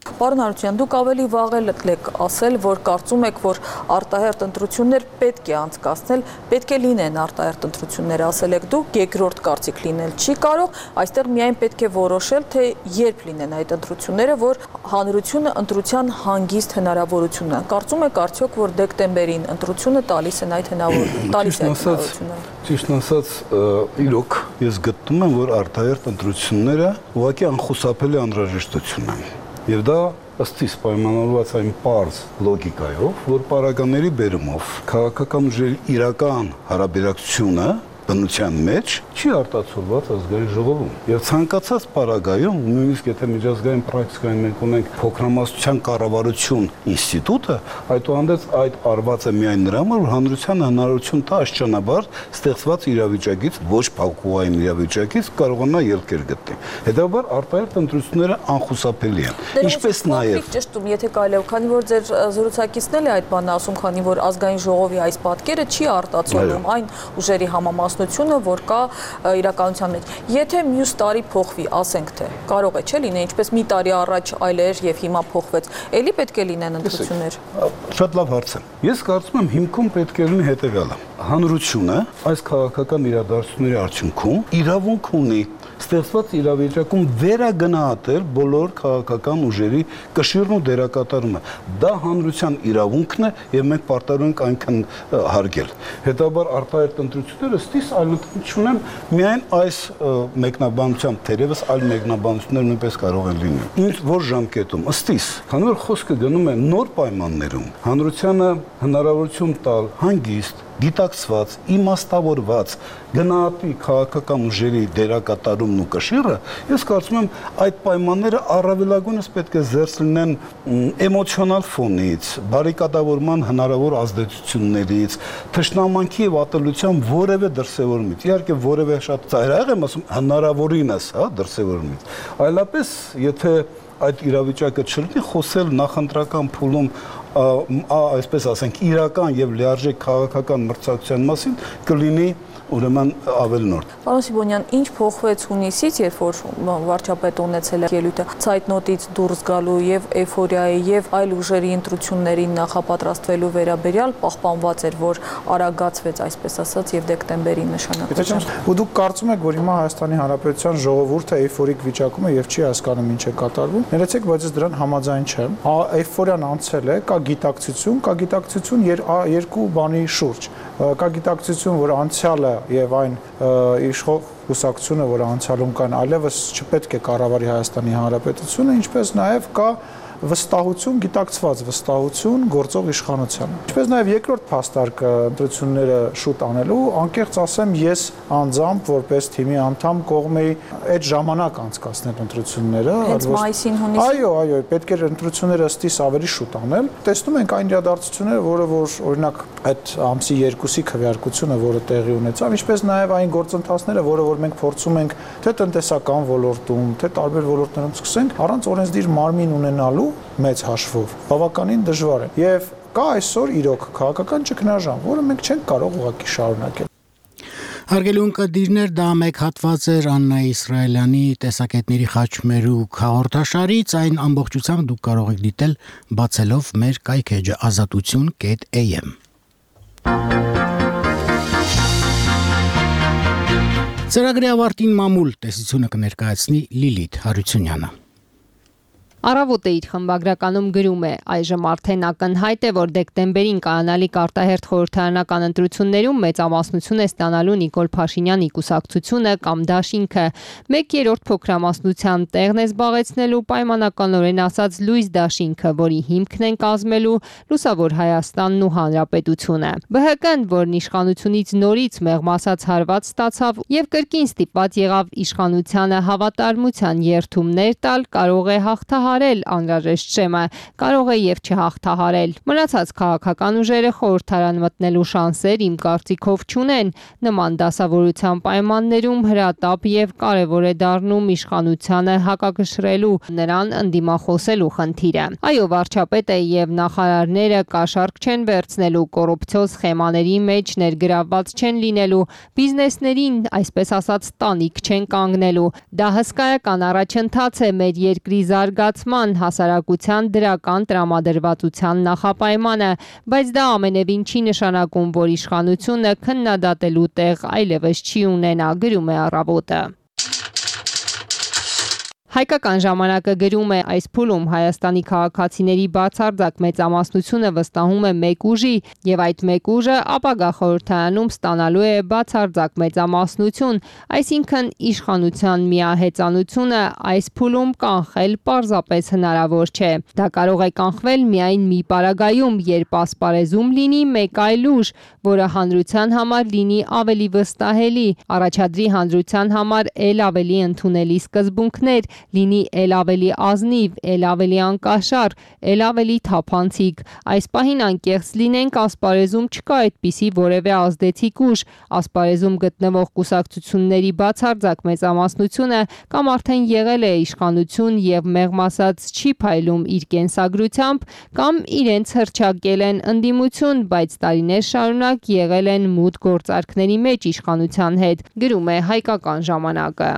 [SPEAKER 19] Պարոն Հարությունյան, դուք ավելի վաղ եք ասել, որ կարծում եք, որ արտահերթ ընտրություններ պետք է անցկացնել, պետք է լինեն արտահերթ ընտրություններ, ասել եք դուք, երկրորդ կարծիք լինել չի կարող, այստեղ միայն պետք է որոշել, թե երբ լինեն այդ ընտրությունները, որ հանրությունը ընտրության հանգիստ հնարավորություն ունենա։ Կարծում եք արդյոք, որ դեկտեմբերին ընտրությունը տալիս են այդ հնարավորությունը։
[SPEAKER 20] Ճիշտ ասած, իրոք ես գտնում եմ, որ արտահերթ ընտրությունները ուղղակի անխուսափելի անհրաժեշտություն են։ Եվ դա ըստ իս պայմանավորված այն պարզ լոգիկայով, որ պարագաների բերումով քաղաքական ուժերի իրական հարաբերակցությունը բնության մեջ չի արտացոլված ազգային ժողովում։ Եվ ցանկացած պարագայում, նույնիսկ եթե միջազգային պրակտիկայում մենք ունենք փոքրամասնության կառավարություն ինստիտուտը, այդուհանդերձ այդ արված է միայն նրա համար, որ հանրությանը հնարավորություն տա աշճանաբար ստեղծված իրավիճակից, ոչ փակուղային իրավիճակից կարողանա ելքեր գտնել։ Հետևաբար արտահերթ ընտրությունները անխուսափելի են։ Ինչպես նաև
[SPEAKER 19] ճշտում, եթե կարելի է, քանի որ ձեր զրուցակիցն է այդ բանը ասում, քանի որ ազգային ժողովի այս պատկերը չի արտացոլում այն ուժերի համամասնությունը, որ կա իրականության մեջ։ Եթե մյուս տարի փոխվի, ասենք թե կարող է չէ լինել, ինչպես մի տարի առաջ այլ էր եւ հիմա փոխվեց, ելի պետք է լինեն ընտրություններ։
[SPEAKER 20] Շատ լավ հարց է։ Ես կարծում եմ հիմքում պետք է լինի հետեւյալը։ Հանրությունը այս քաղաքական իրադարձությունների արդյունքում իրավունք ունի ստեղծված իրավիճակում վերագնահատել բոլոր քաղաքական ուժերի կշիռն ու դերակատարումը։ Դա հանրության իրավունքն է եւ մենք պարտավոր ենք այնքան հարգել։ Հետաբար արտահերթ ընտրությունները ստիս այլընտրանք չունեն, միայն այս մեկնաբանությամբ թերևս այլ մեկնաբանություններ նույնպես կարող են լինել։ Ինչ որ ժամկետում ըստիս, քանի որ խոսքը գնում է նոր պայմաններում, հանրությանը հնարավորություն տալ հանգիստ գիտակցված, իմաստավորված, գնահատի քաղաքական ուժերի դերակատարումն ու կշիռը, ես կարծում եմ այդ պայմանները առավելագույնս պետք է զերծ լինեն էմոցիոնալ ֆոնից, բարիկադավորման հնարավոր ազդեցություններից, թշնամանքի եւ ատելության որևէ դրսևորումից, իհարկե որևէ շատ ծայրահեղ եմ ասում, հնարավորինս, հա, դրսևորումից, այլապես եթե այդ իրավիճակը չլինի, խոսել նախընտրական փուլում այսպես ասենք, իրական եւ լիարժեք քաղաքական մրցակցության մասին կլինի ուրեմն ավելնորդ։
[SPEAKER 19] Պարոն Սիբոնյան, ինչ փոխվեց հունիսից, երբ որ վարչապետը ունեցել է ելույթը ցայտնոտից դուրս գալու եւ էյֆորիայի եւ այլ ուժերի ընտրություններին նախապատրաստվելու վերաբերյալ պահպանված էր, որ արագացվեց, այսպես ասած, եւ դեկտեմբերին նշանակվեց։
[SPEAKER 5] Ու դուք կարծում եք, որ հիմա Հայաստանի Հանրապետության ժողովուրդը էյֆորիկ վիճակում է եւ չի հասկանում ինչ է կատարվում։ Ներեցեք, բայց ես դրան համաձայն չեմ։ Էյֆորիան անցել է, կա գիտակցություն, կա գիտակցություն երկու բանի շուրջ։ Կա գիտակցություն, որ անցյալը եւ այն իշխող կուսակցությունը, որ անցյալում կան, այլևս չպետք է կառավարի Հայաստանի Հանրապետությունը, ինչպես նաեւ կա վստահություն, գիտակցված վստահություն գործող իշխանությանը։ Ինչպես նաև երկրորդ փաստարկը ընտրությունները շուտ անելու, անկեղծ ասեմ, ես անձամբ որպես թիմի անդամ կողմ էի այդ ժամանակ անցկացնել ընտրությունները։
[SPEAKER 19] Հենց մայիսին, հունիսին։
[SPEAKER 5] Այո, այո, պետք էր ընտրությունները ըստիս ավելի շուտ անել։ Տեսնում ենք այն իրադարձությունները, որը որ օրինակ այդ ամսի երկուսի քվեարկությունը, որը տեղի ունեցավ, ինչպես նաև այն գործընթացները, որը որ մենք փորձում ենք թե տնտեսական ոլորտում, թե տարբեր ոլորտներում սկսենք, առանց օրենսդիր մարմին ունենալու մեծ հաշվով բավականին դժվար է եւ կա այսօր իրոք քաղաքական ճգնաժամ, որը մենք չենք կարող ուղղակի շարունակել։
[SPEAKER 1] Հարգելի ունկնդիրներ, դա մեկ հատված էր Աննա Իսրայելյանի տեսակետների խաչմերուկ հաղորդաշարից, այն ամբողջությամբ դուք կարող եք դիտել բացելով մեր կայքեջը ազատություն կետ էյ էմ։ Ծրագրի ավարտին մամուլ տեսությունը կներկայացնի Լիլիթ Հարությունյանը։
[SPEAKER 15] Առավոտ է իր խմբագրականում գրում է. այժմ արդեն ակնհայտ է, որ դեկտեմբերին կայանալիք արտահերթ խորհրդարանական ընտրություններում մեծամասնություն է ստանալու Նիկոլ Փաշինյանի կուսակցությունը կամ դաշինքը։ Մեկ երրորդ փոքրամասնության տեղն է զբաղեցնելու պայմանականորեն ասած լույս դաշինքը, որի հիմքն են կազմելու Լուսավոր Հայաստանն ու Հանրապետությունը։ Բը հը կն, որն իշխանությունից նորից մեղմասած հարված ստացավ եւ կրկին ստիպված եղավ իշխանությանը հավատարմության երթումներ տալ, կարող է հաղթահարել անհրաժեշտ շեմը, կարող է եւ չհաղթահարել։ Մնացած քաղաքական ուժերը խորհրդարան մտնելու շանսեր իմ կարծիքով չունեն։ Նման դասավորության պայմաններում հրատապ եւ կարեւոր է դառնում իշխանությանը հակակշռելու, նրան ընդդիմախոսելու խնդիրը։ Այո, վարչապետը եւ նախարարները կաշառք չեն վերցնելու, կոռուպցիոզ սխեմաների մեջ ներգրավված չեն լինելու, բիզնեսներին, այսպես ասած, տանիք չեն կանգնելու։ Դա հսկայական առաջընթաց է մեր երկրի զարգացման, հասարակության դրական տրամադրվածության նախապայմանը, բայց դա ամենևին չի նշանակում, որ իշխանությունը քննադատելու տեղ այլևս չի ունենա, գրում է Առավոտը։ Հայկական ժամանակը գրում է այս փուլում Հայաստանի քաղաքացիների բացարձակ մեծամասնությունը վստահում է մեկ ուժի եւ այդ մեկ ուժը ապագա խորհրդարանում ստանալու է բացարձակ մեծամասնություն, այսինքն իշխանության միահեծանությունը այս փուլում կանխել պարզապես հնարավոր չէ։ Դա կարող է կանխվել միայն մի պարագայում, երբ ասպարեզում լինի մեկ այլ ուժ, որը հանրության համար լինի ավելի վստահելի, առաջադրի հանրության համար ել ավելի ընդունելի սկզբունքներ, լինի ել ավելի ազնիվ, ել ավելի անկաշառ, ել ավելի թափանցիկ։ Այս պահին անկեղծ լինենք, ասպարեզում չկա այդպիսի որևէ ազդեցիկ ուժ, ասպարեզում գտնվող կուսակցությունների բացարձակ մեծամասնությունը կամ արդեն եղել է իշխանություն եւ մեղմասած չի փայլում իր կենսագրությամբ, կամ իրենց հռչակել են ընդդիմություն, բայց տարիներ շարունակ եղել են մութ գործարքների մեջ իշխանության հետ, գրում է Հայկական ժամանակը։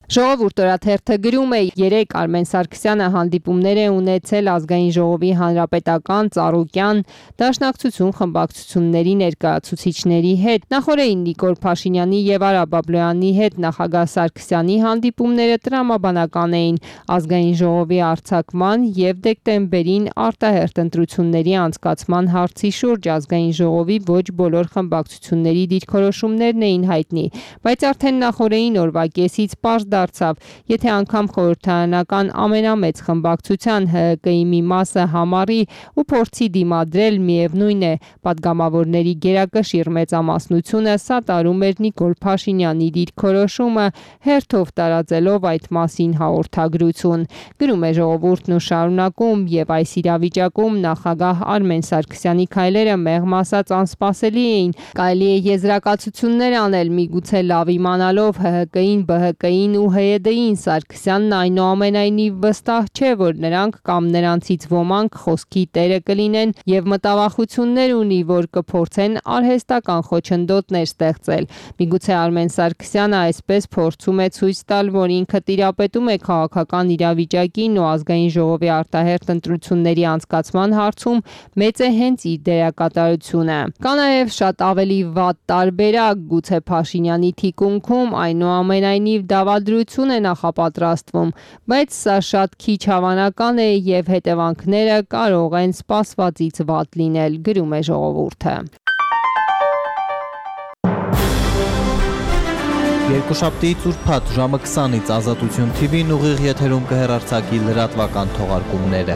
[SPEAKER 15] Ժողովուրդ օրաթերթը գրում է. երեկ Արմեն Սարգսյանը հանդիպումներ է ունեցել Ազգային ժողովի հանրապետական, ծառուկյան, դաշնակցություն խմբակցությունների ներկայացուցիչների հետ։ Նախորդին Նիկոլ Փաշինյանի եւ Արա Բաբլոյանի հետ նախագահ Սարգսյանի հանդիպումները տրամաբանական էին Ազգային ժողովի արձակման եւ դեկտեմբերին արտահերթ ընտրությունների անցկացման հարցի շուրջ Ազգային ժողովի ոչ բոլոր խմբակցությունների դիրքորոշումներն էին հայտնի, բայց արդեն նախորդին օրվա կեսից պարզ դարձավ, եթե անգամ խորհրդարանական ամենամեծ խմբակցության Հ Հ Կ-ի մի մասը համառի ու փորձի դիմադրել, միևնույն է, падգամավորների գերակշիռ մեծամասնությունը սատարում էր Նիկոլ Փաշինյանի դիրքորոշումը, հերթով տարածելով այդ մասին հաղորդագրություն։ Գրում է Ժողովուրդն ու շարունակում, եւ այս իրավիճակում նախագահ Արմեն Սարգսյանի քայլերը մեղմ ասած անսպասելի էին։ Կարելի է եզրակացություններ անել, միգուցե լավ իմանալով Հ Հ Կ-ին, Բ Հ Կ-ին ու Հեյեդեին Սարգսյանն այնուամենայնիվ վստահ չէ, որ նրանք կամ նրանցից ոմանք խոսքի տերը կլինեն եւ մտավախություններ ունի, որ կփորձեն արհեստական խոչընդոտներ ստեղծել։ Միգուցե Արմեն Սարգսյանը այսպես փորձում է ցույց տալ, որ ինքը տիրապետում է քաղաքական իրավիճակին ու ազգային ժողովի արտահերթ ընտրությունների անցկացման հարցում մեծ է հենց իր դերակատարությունը։ Կա նաև շատ ավելի վատ տարբերակ, գուցե Փաշինյանի թիկունքում այնուամենայնիվ դավադրություն է նախապատրաստվում, բայց սա շատ քիչ հավանական է եւ հետևանքները կարող են սպասվածից վատ լինել, գրում է Ժողովուրդը։
[SPEAKER 2] Երկուշաբթիից ուրբաթ ժամը քսանից Ազատություն Թի Վին ուղիղ եթերում կհեռարձակի լրատվական թողարկումները։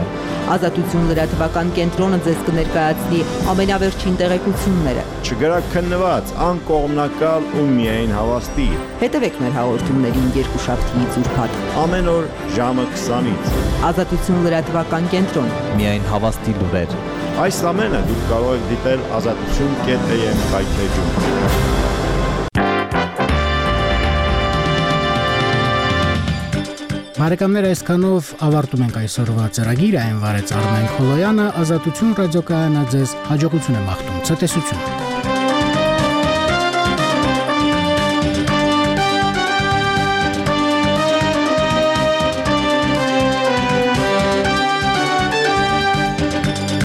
[SPEAKER 21] Ազատություն լրատվական կենտրոնը ձեզ կներկայացնի ամենավերջին տեղեկությունները։
[SPEAKER 22] Չգրաքննված, անկողմնակալ ու միայն հավաստի։
[SPEAKER 21] Հետևեք մեր հաղորդումներին երկուշաբթիից ուրբաթ
[SPEAKER 22] ամեն օր ժամը քսանից։
[SPEAKER 21] Ազատություն լրատվական կենտրոն։
[SPEAKER 2] Միայն հավաստի լուրեր։
[SPEAKER 22] Այս ամենը դուք կարող եք դիտել ազատություն կետ էյ էմ կայքեջում։
[SPEAKER 1] Բարեկամներ, այսքանով ավարտում ենք այսօրվա ծրագիրը, այն վարեց Արմեն Քոլոյանը, Ազատություն ռադիոկայանը ձեզ հաջողություն է մաղթում, ցտեսություն։